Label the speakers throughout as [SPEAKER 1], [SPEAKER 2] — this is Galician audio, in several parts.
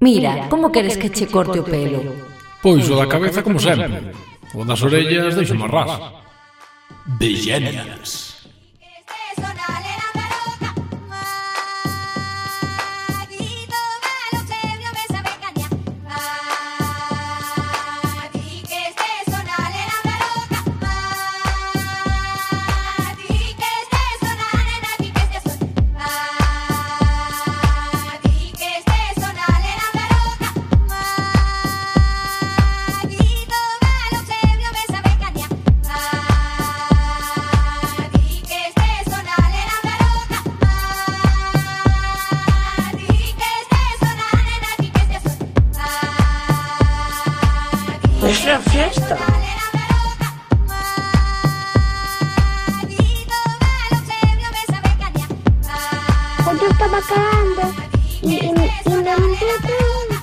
[SPEAKER 1] Mira, como queres que che corte o pelo?
[SPEAKER 2] Pois o da cabeza como sempre. O das orellas deixo máis ras. Vegenias.
[SPEAKER 3] Es la fiesta.
[SPEAKER 4] Pues yo estaba cagando y me limpié todo.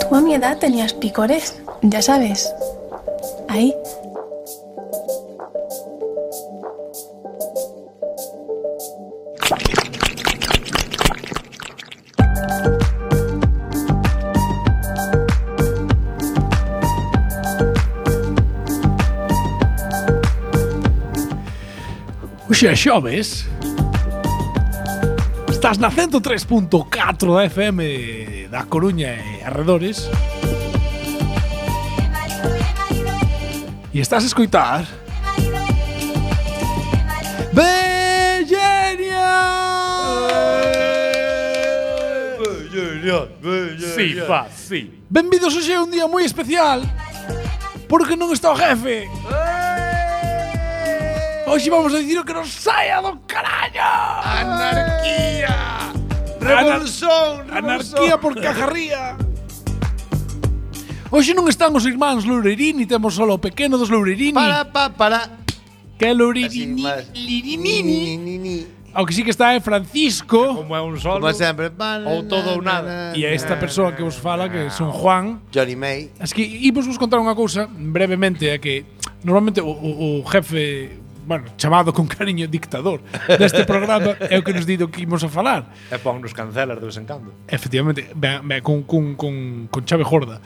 [SPEAKER 5] Tú a mi edad tenías picores, ya sabes. Ahí.
[SPEAKER 2] Oxe, xoves. Estás na 103.4 da FM da Coruña e arredores. E estás a escoitar Vegenias.
[SPEAKER 6] Sí, pa, sí.
[SPEAKER 2] Benvidos hoxe a un día moi especial porque non está o jefe. Hoxe vamos a dicir o que nos saia do carallo.
[SPEAKER 6] Anarquía. Revolución.
[SPEAKER 2] Anarquía por cajarría. Hoxe non están os irmáns Loureirini, temos solo o pequeno dos Loureirini.
[SPEAKER 6] Para.
[SPEAKER 2] Que é Loureirini. Aunque sí que está é Francisco.
[SPEAKER 6] Como é un solo.
[SPEAKER 7] Como sempre.
[SPEAKER 6] Ou todo ou nada.
[SPEAKER 2] E a esta persoa que vos fala, que son Juan.
[SPEAKER 7] Johnny May.
[SPEAKER 2] Es que imos vos contar unha cousa brevemente, é que normalmente o jefe, bueno, chamado con cariño dictador deste programa é o que nos dido que imos a falar.
[SPEAKER 6] E pon nos cancelas de vez en cando.
[SPEAKER 2] Efectivamente, con chave gorda.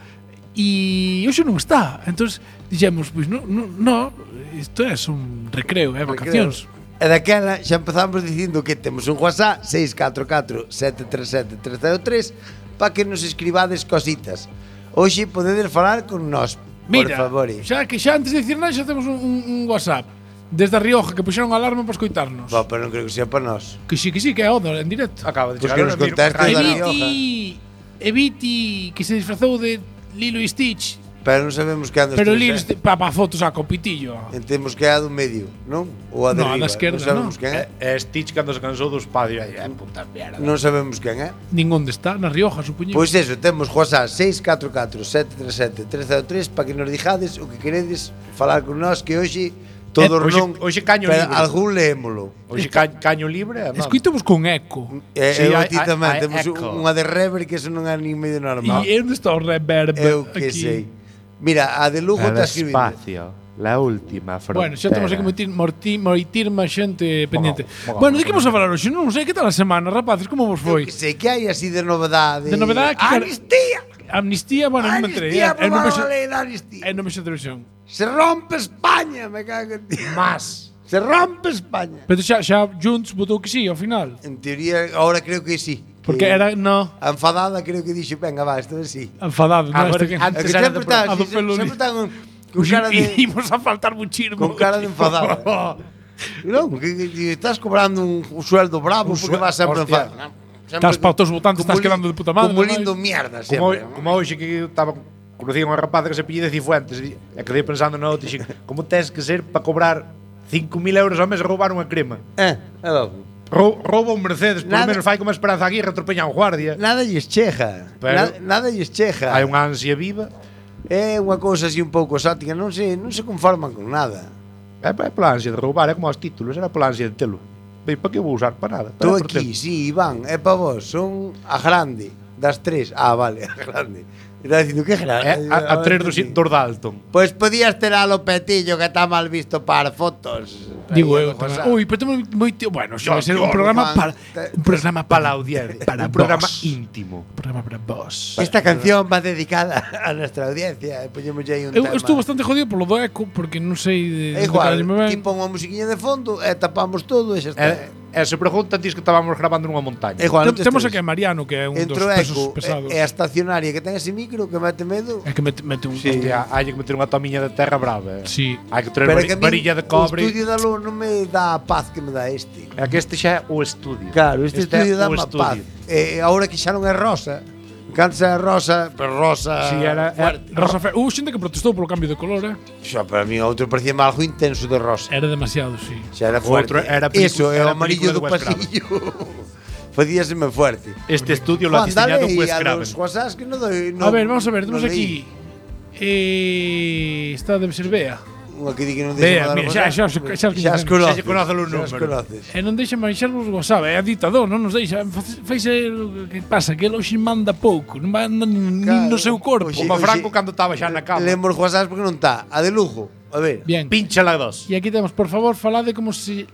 [SPEAKER 2] E hoxe non está. Entonces dixemos, pois no, isto é un recreo, vacacións.
[SPEAKER 7] E daquela xa empezamos dicindo que temos un WhatsApp 644-737-303 para que nos escribades cositas. Hoxe podedes falar con nós,
[SPEAKER 2] Mira,
[SPEAKER 7] por favor.
[SPEAKER 2] Xa que xa antes de dicir nada xa temos un WhatsApp desde a Rioja que puxeron alarma para escoitarnos.
[SPEAKER 7] Pero non creo que sea para nós.
[SPEAKER 2] Que sí, que é Oda en directo.
[SPEAKER 6] Acaba de
[SPEAKER 7] Pois
[SPEAKER 6] chegar.
[SPEAKER 7] que nos conteste da Rioja.
[SPEAKER 2] Eviti que se disfrazou de Lilo e Stitch.
[SPEAKER 7] Pero non sabemos que ando
[SPEAKER 2] Pero Lilo pa fotos a copitillo.
[SPEAKER 7] Entemos que é a do medio, non? Ou a de
[SPEAKER 2] No, a
[SPEAKER 7] riba.
[SPEAKER 2] da esquerda,
[SPEAKER 7] non sabemos
[SPEAKER 2] non.
[SPEAKER 7] quen é.
[SPEAKER 6] E Stitch cando se cansou dos padres. Ai, puta mierda.
[SPEAKER 7] Non sabemos quen é.
[SPEAKER 2] Nin onde está, na Rioja, supoñemos.
[SPEAKER 7] Pois eso, temos WhatsApp 644-737-303 para que nos dijades o que queredes falar con nós, que hoxe todos non.
[SPEAKER 6] Hoxe caño
[SPEAKER 7] pero
[SPEAKER 6] libre.
[SPEAKER 7] algún leémolo.
[SPEAKER 6] Hoxe caño libre.
[SPEAKER 2] Escoitamos con eco.
[SPEAKER 6] Sí,
[SPEAKER 7] Eu
[SPEAKER 6] hai-
[SPEAKER 7] ti tamén
[SPEAKER 6] hai
[SPEAKER 7] temos
[SPEAKER 6] eco.
[SPEAKER 7] unha de reverb que eso non é nin medio normal.
[SPEAKER 2] E onde está o reverb
[SPEAKER 7] Eu que
[SPEAKER 2] aquí?
[SPEAKER 7] sei. Mira, a de Lugo está escribindo.
[SPEAKER 8] Espacio, la última frontera.
[SPEAKER 2] Bueno, xa temos aquí moitir máis xente pendiente.
[SPEAKER 6] Moga,
[SPEAKER 2] Bueno, de que vamos a falar hoxe? Non sei, que tal a semana, rapaces? Como vos foi?
[SPEAKER 7] Que sei que hai así de novedade.
[SPEAKER 2] De novedade que
[SPEAKER 7] Amnistía.
[SPEAKER 2] Amnistía, bueno, non me entrei.
[SPEAKER 7] Amnistía,
[SPEAKER 2] Non
[SPEAKER 7] aprobaron
[SPEAKER 2] vexo
[SPEAKER 7] a lei da amnistía.
[SPEAKER 2] non vexo televisión.
[SPEAKER 7] Se rompe España, me cago en ti.
[SPEAKER 6] Más.
[SPEAKER 7] Se rompe España.
[SPEAKER 2] Pero xa Junts votou que sí, ao final.
[SPEAKER 7] En teoría, ahora creo que sí.
[SPEAKER 2] Porque
[SPEAKER 7] Que
[SPEAKER 2] era, no,
[SPEAKER 7] a enfadada creo que dixo, venga, va, esto é sí.
[SPEAKER 2] enfadado. no,
[SPEAKER 6] Agora,
[SPEAKER 2] este que-
[SPEAKER 6] antes
[SPEAKER 7] É que
[SPEAKER 6] era
[SPEAKER 7] sempre
[SPEAKER 6] do
[SPEAKER 7] está,
[SPEAKER 2] a do
[SPEAKER 7] sí,
[SPEAKER 2] pelo
[SPEAKER 7] sempre
[SPEAKER 2] li-
[SPEAKER 7] está con
[SPEAKER 2] Uy,
[SPEAKER 7] cara de
[SPEAKER 2] imos a faltar muchísimo.
[SPEAKER 7] con cara de enfadada. Non, que estás cobrando un sueldo bravo porque vas sempre
[SPEAKER 6] hostia.
[SPEAKER 7] enfadado.
[SPEAKER 2] Estás para todos os votantes, estás quedando de puta madre.
[SPEAKER 7] Como
[SPEAKER 2] non hai?
[SPEAKER 7] lindo mierda
[SPEAKER 6] Como,
[SPEAKER 7] sempre.
[SPEAKER 6] como hoxe que estaba conocí unha rapaza que se pillé de Cifuentes e quedei pensando no outro, dixen, como tes que ser para cobrar 5.000 euros ao mes e roubar unha crema?
[SPEAKER 7] É logo.
[SPEAKER 6] Rouba un Mercedes, por lo
[SPEAKER 7] Nada.
[SPEAKER 6] menos fai como Esperanza Aguirre, atropella un guardia.
[SPEAKER 7] Nada lles cheja.
[SPEAKER 6] Pero-
[SPEAKER 7] Nada lles cheja.
[SPEAKER 6] Hai unha ansia viva.
[SPEAKER 7] É unha cousa así un pouco exótica, non se conforman con nada.
[SPEAKER 6] É pola ansia de roubar, é como os títulos, era pola ansia de telo. Bem, para que vou usar? Para nada.
[SPEAKER 7] Tú
[SPEAKER 6] Para por
[SPEAKER 7] aquí,
[SPEAKER 6] telo.
[SPEAKER 7] sí, Iván, é para vos, son a grande. das 3. Ah, vale, grande. Está dicindo que grande.
[SPEAKER 6] A 3 dos Dalton.
[SPEAKER 7] Pois podías ter a Lopetillo, que está mal visto para fotos.
[SPEAKER 2] Digo
[SPEAKER 7] Aí,
[SPEAKER 2] eu
[SPEAKER 7] José.
[SPEAKER 2] tamén. Ui, pero temos moito... Bueno, xa vai ser un programa para... Un programa
[SPEAKER 6] Para a audiencia.
[SPEAKER 2] Para
[SPEAKER 6] Un programa
[SPEAKER 2] vos.
[SPEAKER 6] íntimo.
[SPEAKER 2] Un programa para vos.
[SPEAKER 7] Esta canción va dedicada a nuestra audiencia. Poñemos aí un
[SPEAKER 2] Eu
[SPEAKER 7] tema.
[SPEAKER 2] estou bastante jodido polo do eco, porque non sei de
[SPEAKER 7] É igual,
[SPEAKER 2] onde carallo me ven.
[SPEAKER 7] ti pon unha musiquiña de fondo e tapamos todo e xa está.
[SPEAKER 6] E se preguntan, diz que estábamos grabando nunha montaña.
[SPEAKER 7] É igual, non tes
[SPEAKER 2] Temos
[SPEAKER 7] tres.
[SPEAKER 2] aquí a Mariano, que é un
[SPEAKER 7] Entre
[SPEAKER 2] dos
[SPEAKER 7] o
[SPEAKER 2] pesos
[SPEAKER 7] eco
[SPEAKER 2] pesados.
[SPEAKER 7] e a estacionaria que ten ese micro que mete medo.
[SPEAKER 2] É que mete un...
[SPEAKER 7] Sí.
[SPEAKER 6] Hostia, hai que meter unha tomiña de terra brava.
[SPEAKER 2] Sí.
[SPEAKER 6] Hai que traer
[SPEAKER 7] Pero é que a mí
[SPEAKER 6] varilla de
[SPEAKER 7] o
[SPEAKER 6] cobre.
[SPEAKER 7] estudio da luz non me dá a paz que me dá este.
[SPEAKER 6] É que este xa é o estudio.
[SPEAKER 7] Claro, este estudio dá
[SPEAKER 6] é o
[SPEAKER 7] má paz. E agora que xa non é rosa, cansa é rosa, pero rosa
[SPEAKER 6] Si era
[SPEAKER 7] fuerte.
[SPEAKER 2] Rosa Fe... xente que protestou polo cambio de color,
[SPEAKER 7] Xa, para mí outro parecía algo intenso de rosa.
[SPEAKER 2] Era demasiado, sí.
[SPEAKER 7] Xa era
[SPEAKER 6] O outro
[SPEAKER 7] fuerte.
[SPEAKER 6] era
[SPEAKER 7] Eso, é o
[SPEAKER 6] era
[SPEAKER 7] amarillo
[SPEAKER 6] película
[SPEAKER 7] do
[SPEAKER 6] de Wes Craven.
[SPEAKER 7] pasillo. Facíaseme fuerte.
[SPEAKER 6] Este estudio lo ha
[SPEAKER 7] Juan,
[SPEAKER 6] diseñado
[SPEAKER 7] dale
[SPEAKER 6] Wes
[SPEAKER 7] a
[SPEAKER 6] Craven.
[SPEAKER 7] los WhatsApp que no doy.
[SPEAKER 2] A ver, vamos a ver,
[SPEAKER 7] no
[SPEAKER 2] temos
[SPEAKER 7] leí.
[SPEAKER 2] aquí... Esta debe ser Bea.
[SPEAKER 7] Unha que di que non
[SPEAKER 2] Bea,
[SPEAKER 7] deixa
[SPEAKER 2] mira,
[SPEAKER 7] mandar
[SPEAKER 2] xa
[SPEAKER 7] WhatsApp.
[SPEAKER 2] os coñecemos.
[SPEAKER 6] Xa lle conoce os
[SPEAKER 7] xa os
[SPEAKER 6] números.
[SPEAKER 7] conoces.
[SPEAKER 2] E non deixa manxar os WhatsApp, é ditador, non nos deixa. Faixe o que pasa, que ele hoxe manda pouco, non manda nin no seu corpo.
[SPEAKER 7] Oxe,
[SPEAKER 6] Como
[SPEAKER 7] oxe,
[SPEAKER 6] Franco cando estaba xa na cama.
[SPEAKER 7] Lemos WhatsApp porque non está. A de lujo. A ver.
[SPEAKER 2] Bien.
[SPEAKER 6] Pínchala dos.
[SPEAKER 2] E aquí temos, por favor, falade como se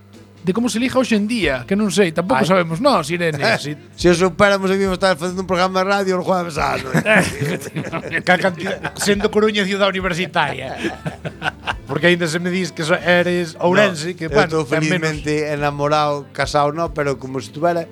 [SPEAKER 2] liga hoxe en día, que non sei, tampouco
[SPEAKER 6] Ai.
[SPEAKER 2] sabemos nós, Irene.
[SPEAKER 7] Se os superamos aquí, vamos a estar facendo un programa de radio os jueves á noite.
[SPEAKER 6] Ca cantidad, sendo Coruña ciudad universitaria. Porque aínda se me dis que eres Ourense, que
[SPEAKER 7] Eu
[SPEAKER 6] bueno,
[SPEAKER 7] estou
[SPEAKER 6] ten menos.
[SPEAKER 7] felizmente enamorado, casado no, pero como se estuvera.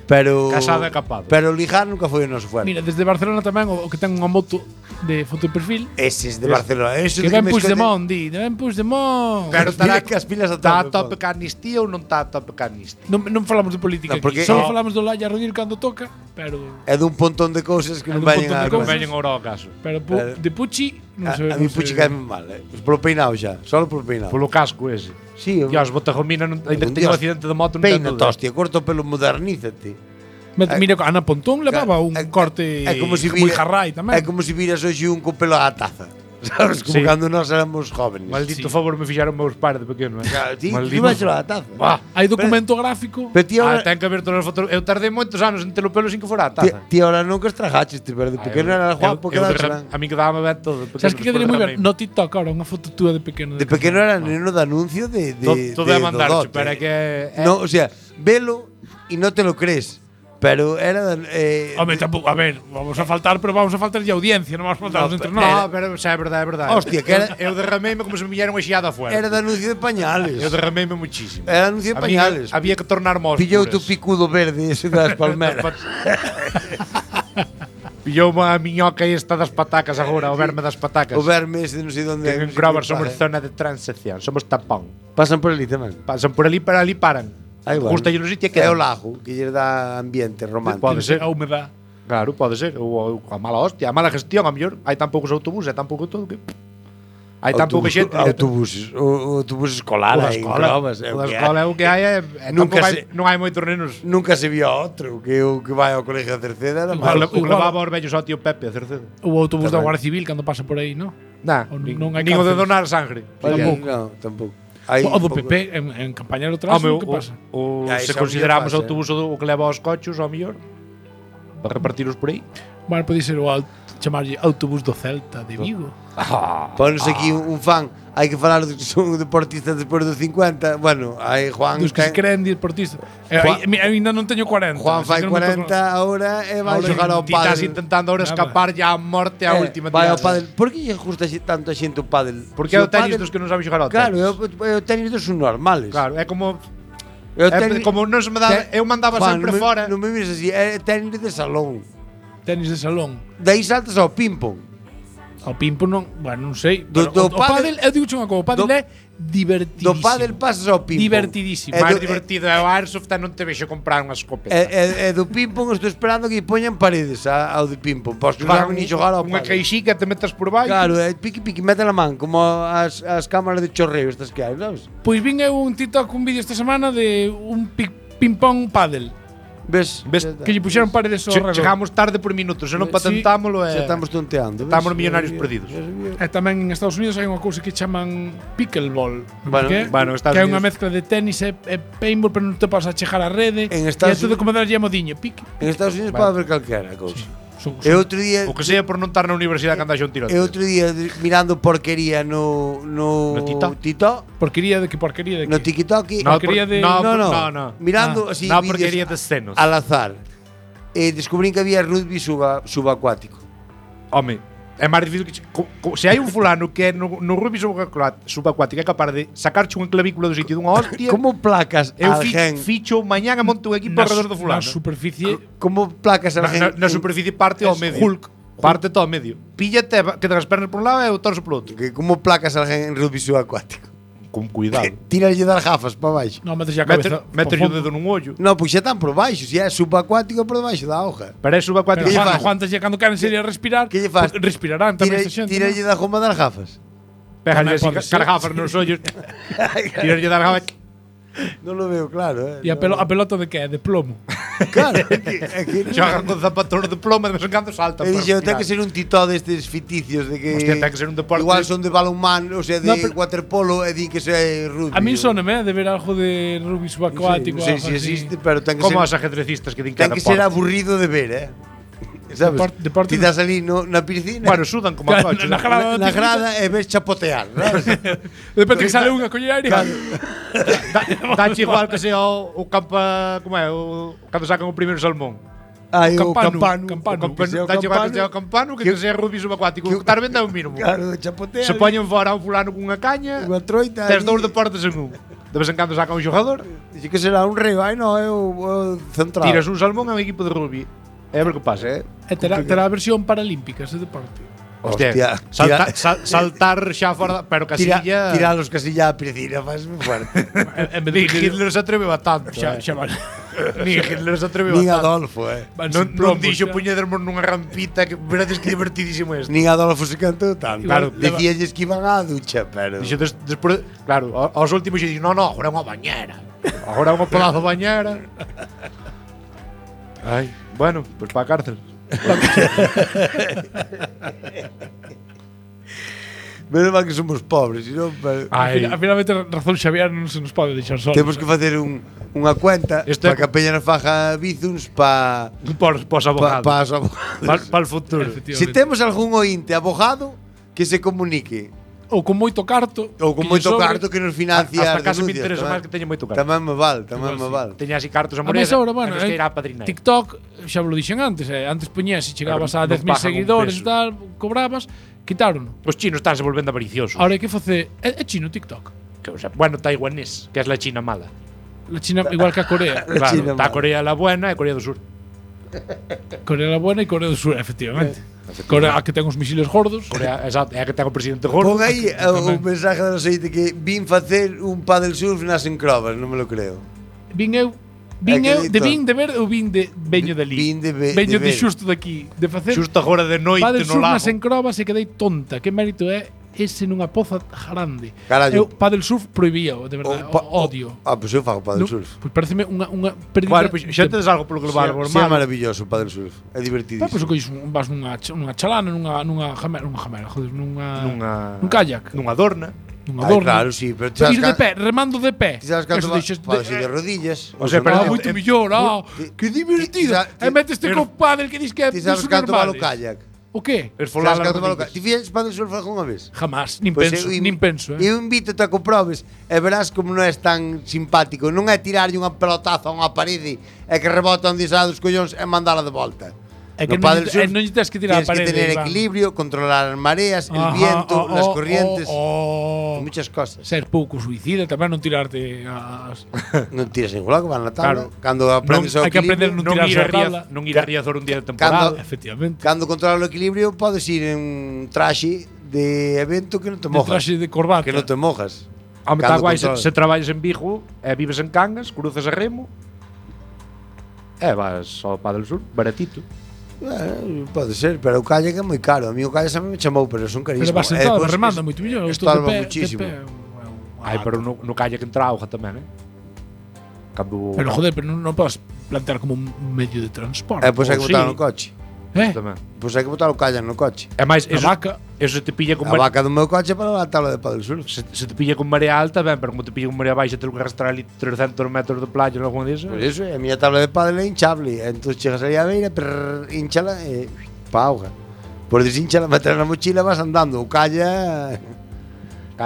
[SPEAKER 7] Pero
[SPEAKER 6] Casado e capado.
[SPEAKER 7] Pero ligar nunca foi o noso fuerte.
[SPEAKER 2] Mira, desde Barcelona tamén o que ten unha moto de foto de perfil.
[SPEAKER 7] Eses de Barcelona, eso
[SPEAKER 2] Que
[SPEAKER 7] de
[SPEAKER 2] ven
[SPEAKER 7] me
[SPEAKER 2] Puigdemont, di, ven Puigdemont.
[SPEAKER 6] Pero
[SPEAKER 7] Mira
[SPEAKER 6] estará
[SPEAKER 7] que as pilas a
[SPEAKER 6] está a
[SPEAKER 7] tope,
[SPEAKER 6] tope ca amnistía ou non está a tope ca amnistía?
[SPEAKER 2] Non falamos de política
[SPEAKER 7] No, porque-
[SPEAKER 2] aquí, só
[SPEAKER 7] No.
[SPEAKER 2] falamos do Laia Rodríguez cando toca, pero
[SPEAKER 7] É dun pontón de cousas que
[SPEAKER 2] É
[SPEAKER 7] non
[SPEAKER 2] dun
[SPEAKER 7] veñen
[SPEAKER 2] pontón de
[SPEAKER 7] a
[SPEAKER 2] cousas.
[SPEAKER 6] Non veñen ora ao caso.
[SPEAKER 2] pero
[SPEAKER 7] Pero-
[SPEAKER 2] de Pucci non
[SPEAKER 7] A
[SPEAKER 2] sei.
[SPEAKER 7] mí Puchi cae mal, Polo peinado xa, solo polo peinado.
[SPEAKER 6] Polo casco ese.
[SPEAKER 7] Sí,
[SPEAKER 6] Dios, Botagomina ainda
[SPEAKER 7] Un
[SPEAKER 6] que teño un
[SPEAKER 7] dios.
[SPEAKER 6] accidente de moto non ten
[SPEAKER 7] peina,
[SPEAKER 6] dúda.
[SPEAKER 7] hostia, corto o pelo, modernízate.
[SPEAKER 2] Mira, Ana Pontón levaba un corte
[SPEAKER 7] É como si
[SPEAKER 2] moi
[SPEAKER 7] vira-
[SPEAKER 2] jarrai tamén.
[SPEAKER 7] É como si viras hoxe un co pelo á taza. Sabes, como
[SPEAKER 6] Sí.
[SPEAKER 7] cando nós éramos jóvenes.
[SPEAKER 6] Maldito
[SPEAKER 2] Sí.
[SPEAKER 6] favor me fixaron meus pais de pequeno, eh.
[SPEAKER 7] Claro, ti
[SPEAKER 6] Maldito.
[SPEAKER 7] vas á taza.
[SPEAKER 6] Buah.
[SPEAKER 2] Hai documento gráfico.
[SPEAKER 7] Pero ti
[SPEAKER 6] Ah,
[SPEAKER 7] ahora,
[SPEAKER 6] ten que ver todas as fotos. Eu tardei moitos anos en ter o pelo sin que fora a
[SPEAKER 7] ti,
[SPEAKER 6] taza.
[SPEAKER 7] ti ahora nunca estragaches, ti, pero de pequeno era guapo que
[SPEAKER 6] A mí quedaba ben todo. de
[SPEAKER 2] Sabes
[SPEAKER 6] pequeno,
[SPEAKER 2] que quedaría moi
[SPEAKER 6] despois
[SPEAKER 2] ben?
[SPEAKER 6] derramei.
[SPEAKER 2] No TikTok ahora, unha foto túa de pequeno.
[SPEAKER 7] De pequeno era neno de anuncio de
[SPEAKER 6] Todo
[SPEAKER 7] de
[SPEAKER 6] é mandar,
[SPEAKER 7] Dodote.
[SPEAKER 6] pero é que
[SPEAKER 7] No, o sea, velo y no te lo crees. Pero era
[SPEAKER 2] Home, tampouco, a ver, vamos a faltar, pero vamos a faltar de audiencia, non vamos a faltar entre
[SPEAKER 6] No,
[SPEAKER 2] nós.
[SPEAKER 6] pero xa é verdade, é verdade.
[SPEAKER 7] Hostia, que era-
[SPEAKER 6] Eu derrameime como se me vieron xiada afuera.
[SPEAKER 7] era de anuncio de pañales.
[SPEAKER 6] Eu derrameime muchísimo.
[SPEAKER 7] Era anuncio de pañales.
[SPEAKER 6] Había que tornar mos.
[SPEAKER 7] Pillou tu picudo verde ese das palmeras.
[SPEAKER 6] Pillou a miñoca esta das patacas agora, o verme das patacas.
[SPEAKER 7] O verme ese non sei onde.
[SPEAKER 6] Que en Grover somos zona de transacción, somos tapón.
[SPEAKER 7] Pasan por ali tamén.
[SPEAKER 6] Pasan por ali, para ali paran.
[SPEAKER 7] Aí va.
[SPEAKER 6] Justa o sitio que
[SPEAKER 7] É o lago que lle dá ambiente romántico.
[SPEAKER 6] Pode ser.
[SPEAKER 2] A humedad.
[SPEAKER 6] Claro, pode ser. Ou a mala hostia, a mala gestión, a mellor. Hai tan poucos autobuses, hai tan pouco todo que... Hai tan pouca xente.
[SPEAKER 7] Autobuses. O autobus escolar
[SPEAKER 6] O da
[SPEAKER 7] aí en
[SPEAKER 6] escola.
[SPEAKER 7] Grovas.
[SPEAKER 6] O da escola é o que hai.
[SPEAKER 7] Nunca
[SPEAKER 6] Non hai moitos nenos.
[SPEAKER 7] Nunca se vio outro que o que vai ao colegio de Cerceda era
[SPEAKER 2] Igual-
[SPEAKER 7] malo.
[SPEAKER 6] O que levaba os vellos ao tío Pepe a Cercedo.
[SPEAKER 2] O autobús da
[SPEAKER 7] Tamén.
[SPEAKER 2] Guardia Civil cando pasa por aí, non?
[SPEAKER 6] Nah,
[SPEAKER 2] O
[SPEAKER 6] nin
[SPEAKER 2] non hai
[SPEAKER 6] o de
[SPEAKER 2] cárceles.
[SPEAKER 6] donar sangre.
[SPEAKER 2] Tampouco.
[SPEAKER 7] Non, tampouco. Hai
[SPEAKER 2] O do
[SPEAKER 7] pouco-
[SPEAKER 2] PP en campaña do trazo,
[SPEAKER 6] Home,
[SPEAKER 2] que pasa?
[SPEAKER 6] se
[SPEAKER 7] Ese
[SPEAKER 6] consideramos
[SPEAKER 7] ao mellor
[SPEAKER 6] autobús o que leva aos cochos, ao mellor, para repartiros por aí.
[SPEAKER 2] Bueno, pode ser chamarlle autobús do Celta de Vigo.
[SPEAKER 7] Ponos aquí un fan. Hai que falar dos que son deportistas despois dos 50. Bueno, hai Juan.
[SPEAKER 2] Dos que se
[SPEAKER 7] ten-
[SPEAKER 2] creen deportistas.
[SPEAKER 7] Juan-
[SPEAKER 2] Eu ainda non teño 40.
[SPEAKER 7] Juan
[SPEAKER 2] así
[SPEAKER 7] fai
[SPEAKER 2] que non me
[SPEAKER 7] 40 ahora e vai
[SPEAKER 2] Ahora
[SPEAKER 7] xogar ao
[SPEAKER 6] Ti estás
[SPEAKER 7] pádel.
[SPEAKER 6] intentando ahora
[SPEAKER 2] Nada.
[SPEAKER 6] escapar ya a morte a última
[SPEAKER 7] Vai ao
[SPEAKER 6] tirada.
[SPEAKER 7] pádel. Por que lle gusta tanto a xente o pádel?
[SPEAKER 6] Porque
[SPEAKER 7] Se
[SPEAKER 6] é o tenis
[SPEAKER 7] pádel-
[SPEAKER 6] dos que non saben xogar ao
[SPEAKER 7] Claro,
[SPEAKER 6] tenis.
[SPEAKER 7] é o tenis dos normales.
[SPEAKER 6] Claro, é como
[SPEAKER 7] É o
[SPEAKER 6] é
[SPEAKER 7] tenis-
[SPEAKER 6] como non se me dá, eu mandaba
[SPEAKER 7] Juan,
[SPEAKER 6] sempre
[SPEAKER 7] non me-
[SPEAKER 6] fora.
[SPEAKER 7] Non me mires así, é tenis de salón.
[SPEAKER 2] Tenis de salón.
[SPEAKER 7] Daí saltas ao ping-pong.
[SPEAKER 2] Ao pimpo non, bueno, non sei.
[SPEAKER 7] Do-
[SPEAKER 2] Pero
[SPEAKER 7] do
[SPEAKER 2] o pádel,
[SPEAKER 7] pádel-
[SPEAKER 2] eu digo unha cousa, o pádel
[SPEAKER 7] do-
[SPEAKER 2] é divertidísimo.
[SPEAKER 7] Do pádel pasas ao ping-pong.
[SPEAKER 2] Divertidísimo.
[SPEAKER 7] É
[SPEAKER 6] máis
[SPEAKER 7] do-
[SPEAKER 6] divertido é o Airsoft e non te vexo comprar unha escopeta.
[SPEAKER 7] E do ping-pong estou esperando que lle poñan paredes ao de ping-pong. Pois que non saben ni xogar ao
[SPEAKER 6] unha
[SPEAKER 7] pádel.
[SPEAKER 6] queixica te metes por baixo.
[SPEAKER 7] Claro, piqui mete la man, como as cámaras de chorreo estas que hai, sabes?
[SPEAKER 2] Pois vin eu un TikTok, un vídeo esta semana de un ping-pong pádel.
[SPEAKER 7] Ves?
[SPEAKER 6] Ves
[SPEAKER 2] Que lle puxeron paredes ao redor.
[SPEAKER 6] Chegamos tarde por minutos, se non
[SPEAKER 2] Sí.
[SPEAKER 6] patentámolo
[SPEAKER 7] Xa
[SPEAKER 6] e
[SPEAKER 7] estamos tonteando. ves?
[SPEAKER 6] estamos millonarios perdidos.
[SPEAKER 2] E tamén en Estados Unidos hai unha cousa que chaman pickleball.
[SPEAKER 7] Bueno,
[SPEAKER 2] que,
[SPEAKER 6] bueno, Estados
[SPEAKER 2] que é unha
[SPEAKER 6] Unidos-
[SPEAKER 2] mezcla de tenis e paintball, pero non te pasas a chegar á rede.
[SPEAKER 7] En
[SPEAKER 2] e é
[SPEAKER 7] Estados
[SPEAKER 2] todo como darlle a modiño. Pic.
[SPEAKER 7] En Estados Unidos pode haber calquera cousa. E outro día
[SPEAKER 6] O que sea por non estar na universidade cando haxa un tiroteo.
[SPEAKER 7] E outro día mirando porquería no TikTok.
[SPEAKER 2] Porquería de que porquería de que?
[SPEAKER 7] No TikTok.
[SPEAKER 2] Porquería de
[SPEAKER 6] No.
[SPEAKER 7] Mirando así
[SPEAKER 6] No,
[SPEAKER 7] vídeos
[SPEAKER 6] porquería de senos.
[SPEAKER 7] al azar. E descubrín que había rugby subacuático.
[SPEAKER 6] Home, é máis difícil que se hai un fulano que é no rugby subacuático é capaz de sacarche unha clavícula do sitio dunha hostia.
[SPEAKER 7] Como placas
[SPEAKER 6] Eu
[SPEAKER 7] alguén?
[SPEAKER 6] ficho mañán e monto un equipo alrededor do fulano.
[SPEAKER 2] Na superficie
[SPEAKER 7] Como placas alguén?
[SPEAKER 6] Na superficie parte ao medio.
[SPEAKER 2] Hulk.
[SPEAKER 6] Parte todo ao medio. Píllate, que te as pernas por un lado e o torso por outro.
[SPEAKER 7] Que como placas alguén en rugby subacuático?
[SPEAKER 6] Con cuidado.
[SPEAKER 7] Tírale das gafas para baixo.
[SPEAKER 2] non metes a cabeza.
[SPEAKER 6] Meter o dedo nun ollo.
[SPEAKER 7] No, pois xa están por baixo, se é subacuático por debaixo da hoja.
[SPEAKER 6] Pero é subacuático.
[SPEAKER 2] Pero
[SPEAKER 7] lle
[SPEAKER 2] Juan,
[SPEAKER 7] fas?
[SPEAKER 2] Juantas ya cando queren sería respirar,
[SPEAKER 7] Que lle fas?
[SPEAKER 2] respirarán tamén esta xente.
[SPEAKER 7] Tírale das goma das gafas.
[SPEAKER 6] Pégale así
[SPEAKER 2] Tamén pode ser.
[SPEAKER 6] cargafas nos ollos. Tírale das gafas.
[SPEAKER 7] Non lo veo claro,
[SPEAKER 2] E a pelota de que é? De plomo.
[SPEAKER 7] Claro, é que
[SPEAKER 6] Xogan con zapatos de ploma e de vez en cando saltan.
[SPEAKER 7] E
[SPEAKER 6] para
[SPEAKER 7] dixo, ten
[SPEAKER 6] respirar.
[SPEAKER 7] que ser un titó destes ficticios de que
[SPEAKER 6] Hostia, ten que ser un deporte.
[SPEAKER 7] igual son de balonmán, o sea, de
[SPEAKER 2] No, pero-
[SPEAKER 7] waterpolo e di que é rugby.
[SPEAKER 2] A min soname de ver algo de rugby subacuático.
[SPEAKER 7] Non sei
[SPEAKER 2] algo
[SPEAKER 7] se
[SPEAKER 2] así.
[SPEAKER 7] existe, pero ten que
[SPEAKER 6] Como os
[SPEAKER 7] ser
[SPEAKER 6] ajedrecistas que din que
[SPEAKER 7] ten que ser aburrido de ver, Sabes?
[SPEAKER 2] Deporte-
[SPEAKER 7] Ti das ali na piscina.
[SPEAKER 6] Bueno, sudan como a
[SPEAKER 2] Claro,
[SPEAKER 6] coche.
[SPEAKER 2] na grada
[SPEAKER 7] na grada e ves chapotear, sabes?
[SPEAKER 2] De repente que sale unha coller aire.
[SPEAKER 6] Dache igual que sea o campa, como é, o cando sacan o primeiro salmón.
[SPEAKER 7] Aí o
[SPEAKER 2] Campano,
[SPEAKER 7] campano,
[SPEAKER 2] que sea o
[SPEAKER 6] Dache igual que
[SPEAKER 7] campano,
[SPEAKER 6] sea o campano que sea rugby subacuático. O estar vendo é o mínimo.
[SPEAKER 7] claro, chapotea.
[SPEAKER 6] Se poñen fora a un fulano cunha caña,
[SPEAKER 7] unha troita.
[SPEAKER 6] tes
[SPEAKER 7] ali.
[SPEAKER 6] dous deportes en un. De vez en cando sacan un xogador,
[SPEAKER 7] Dice que será un reo, ai no, é o central.
[SPEAKER 6] tiras un salmón a un equipo de rugby. E a ver que pasa.
[SPEAKER 2] E terá a versión paralímpica ese deporte.
[SPEAKER 7] Hostia,
[SPEAKER 6] saltar xa fora, pero Casilla.
[SPEAKER 7] Tira los Casilla a piscina, faz moi fuerte.
[SPEAKER 2] En vez
[SPEAKER 6] Ni
[SPEAKER 2] de
[SPEAKER 6] Hitler se atreve a tanto.
[SPEAKER 2] xa vale.
[SPEAKER 6] Ni Hitler se atreve
[SPEAKER 7] Nin
[SPEAKER 6] a tanto.
[SPEAKER 7] Adolfo,
[SPEAKER 2] Van
[SPEAKER 6] Non,
[SPEAKER 2] sin plomos,
[SPEAKER 6] dixo
[SPEAKER 2] xa.
[SPEAKER 6] puñedermos nunha rampita que verades que divertidísimo isto.
[SPEAKER 7] Nin Adolfo se cantou tanto.
[SPEAKER 2] Igual,
[SPEAKER 7] Dicíalles que iban á ducha, pero
[SPEAKER 6] Dixo despois, claro, aos últimos xe dixo, no, agora é unha bañera. Agora é unha pedazo de bañera. Ai, bueno, pois para a cárcel.
[SPEAKER 7] menos mal que somos pobres, sino
[SPEAKER 6] Ai,
[SPEAKER 2] Finalmente razón Xavier non se nos pode deixar solos.
[SPEAKER 7] temos que facer unha cuenta
[SPEAKER 6] Isto é-
[SPEAKER 7] para que a peña nos faja bizuns para
[SPEAKER 6] por os abogados.
[SPEAKER 7] os abogados.
[SPEAKER 6] Para o futuro.
[SPEAKER 7] Se temos algún ointe abogado que se comunique
[SPEAKER 2] Ou con moito carto.
[SPEAKER 7] ou con
[SPEAKER 2] que lle
[SPEAKER 7] moito
[SPEAKER 2] sobre.
[SPEAKER 7] carto que nos financia
[SPEAKER 6] Hasta
[SPEAKER 7] as
[SPEAKER 6] casi me
[SPEAKER 7] denuncias,
[SPEAKER 6] interesa
[SPEAKER 7] tamén.
[SPEAKER 6] máis que teña moito carto.
[SPEAKER 7] Tamén me val.
[SPEAKER 6] Teña así cartos a
[SPEAKER 2] A máis
[SPEAKER 6] morena.
[SPEAKER 2] agora, bueno,
[SPEAKER 6] que irá a padrinar.
[SPEAKER 2] TikTok, xa vos lo dixen antes, antes poñías e chegabas a
[SPEAKER 6] Claro,
[SPEAKER 2] 10.000
[SPEAKER 6] non pagan un
[SPEAKER 2] seguidores e
[SPEAKER 6] peso.
[SPEAKER 2] tal, cobrabas, quitaron.
[SPEAKER 6] Os chinos están se volvendo avariciosos.
[SPEAKER 2] Ahora hai que facer é chino TikTok.
[SPEAKER 6] Que, o sea, bueno, taiwanés, que es la China mala.
[SPEAKER 2] La China igual que a Corea.
[SPEAKER 6] Claro,
[SPEAKER 7] China
[SPEAKER 6] está
[SPEAKER 7] mala.
[SPEAKER 6] Corea la buena e Corea do Sur.
[SPEAKER 2] Corea la buena e Corea do Sur, efectivamente. Corea a que ten os misiles gordos.
[SPEAKER 6] Corea, exacto, é a que ten o presidente gordo.
[SPEAKER 7] Pon aí o mensaje do aceite que vin facer un paddle surf nas encrobas, non me lo creo.
[SPEAKER 2] Vin eu de vin de ver ou vin de veño de ali.
[SPEAKER 7] Vin de
[SPEAKER 2] veño de
[SPEAKER 7] ver.
[SPEAKER 2] xusto daqui, de facer
[SPEAKER 6] Xusto agora de noite
[SPEAKER 2] Padel
[SPEAKER 6] no
[SPEAKER 2] surf
[SPEAKER 6] lago.
[SPEAKER 2] nas encrobas e quedei tonta. Que mérito é ese nunha poza grande.
[SPEAKER 7] Carallo.
[SPEAKER 2] Eu padel surf prohibíao, de verdade, odio.
[SPEAKER 7] Pois eu fago paddle
[SPEAKER 2] Non,
[SPEAKER 7] surf.
[SPEAKER 2] Pois pareceme unha pérdida.
[SPEAKER 6] Bueno, pois xa tedes algo polo global
[SPEAKER 7] Sí, é
[SPEAKER 6] normal.
[SPEAKER 7] maravilloso o paddle surf. É divertidísimo.
[SPEAKER 2] Pois colles vas nunha chalana, nunha jamera, joder, nun kayak,
[SPEAKER 6] Nunha dorna.
[SPEAKER 2] nunha
[SPEAKER 7] Ai,
[SPEAKER 2] dorna.
[SPEAKER 7] claro, sí, pero
[SPEAKER 2] Ir de pé, remando de pé.
[SPEAKER 7] Ti sabes canto
[SPEAKER 2] Eso
[SPEAKER 7] va?
[SPEAKER 2] deixas
[SPEAKER 7] Podes ir de rodillas.
[SPEAKER 6] O sea,
[SPEAKER 7] ou
[SPEAKER 6] pero
[SPEAKER 7] senón-
[SPEAKER 2] moito mellor, que divertido. E meteste co pádel que dis que é
[SPEAKER 7] Ti sabes
[SPEAKER 2] dos
[SPEAKER 7] canto vale o
[SPEAKER 2] normales.
[SPEAKER 7] kayak?
[SPEAKER 2] O que?
[SPEAKER 6] Es
[SPEAKER 7] Sabes
[SPEAKER 6] folar as
[SPEAKER 7] canto vale o
[SPEAKER 6] rodillas.
[SPEAKER 7] kayak? Ti fixes paddle surf algunha vez?
[SPEAKER 2] Jamás, nin
[SPEAKER 7] Pois
[SPEAKER 2] penso,
[SPEAKER 7] eu-
[SPEAKER 2] nin penso,
[SPEAKER 7] Eu invítote a que o probes e verás como non é tan simpático. Non é tirarlle unha pelotazo a unha parede e que rebota onde xa dos collóns e mandala de volta.
[SPEAKER 2] É que
[SPEAKER 7] No
[SPEAKER 2] non
[SPEAKER 7] paddle
[SPEAKER 2] lle-
[SPEAKER 7] surf
[SPEAKER 2] non lle tes que tirar a
[SPEAKER 7] tienes
[SPEAKER 2] parede,
[SPEAKER 7] que tener
[SPEAKER 2] Iván.
[SPEAKER 7] equilibrio, controlar as mareas, el
[SPEAKER 2] Ajá,
[SPEAKER 7] viento, las corrientes, muchas cosas.
[SPEAKER 2] Ser pouco suicida, tamén non tirarte as
[SPEAKER 7] Non tiras ningún lado que van na tabla.
[SPEAKER 6] Claro.
[SPEAKER 7] Cando aprendes o
[SPEAKER 2] hai que aprender
[SPEAKER 7] equilibrio,
[SPEAKER 2] non tirarse a tabla.
[SPEAKER 6] Non ir a Riazor un día de temporada.
[SPEAKER 2] Efectivamente.
[SPEAKER 7] cando controlas o equilibrio, podes ir en un traxe de evento que non te
[SPEAKER 2] De
[SPEAKER 7] mojas.
[SPEAKER 2] traxe de corbata.
[SPEAKER 7] Que non te mojas.
[SPEAKER 6] Home, está
[SPEAKER 7] Cando
[SPEAKER 6] guai se
[SPEAKER 7] controlas.
[SPEAKER 6] traballas en Vigo e vives en Cangas, cruzas a remo e vas ao Padel Sur, baratito.
[SPEAKER 7] Pode ser, pero o kayak é moi caro. A mí o kayak xa me chamou, pero son carísimos.
[SPEAKER 2] Pero vas sentado, remanda moito mellor. Isto
[SPEAKER 7] estalva
[SPEAKER 2] de pé,
[SPEAKER 7] muchísimo.
[SPEAKER 2] de pé.
[SPEAKER 6] Ai, pero no kayak entra auga tamén, Cando
[SPEAKER 2] Pero joder, pero non podes plantear como un medio de transporte.
[SPEAKER 7] Pois hai que
[SPEAKER 6] sí.
[SPEAKER 7] botar no coche.
[SPEAKER 6] tamén.
[SPEAKER 7] Pois hai que botar o kayak no coche.
[SPEAKER 6] É máis,
[SPEAKER 2] A
[SPEAKER 6] eso,
[SPEAKER 2] vaca.
[SPEAKER 6] eso se te pilla con
[SPEAKER 7] A vaca do meu coche para a tabla de paddle surf.
[SPEAKER 6] se te pilla con marea alta, ben, pero como te pilla con marea baixa, tens que arrastrar ali 300 metros de playa ou algo disso.
[SPEAKER 7] Por iso, a miña tabla de paddle é hinchable. Entón chegas aí á beira, hinchala e pa auga. Por desincha la meter na mochila vas andando, o calla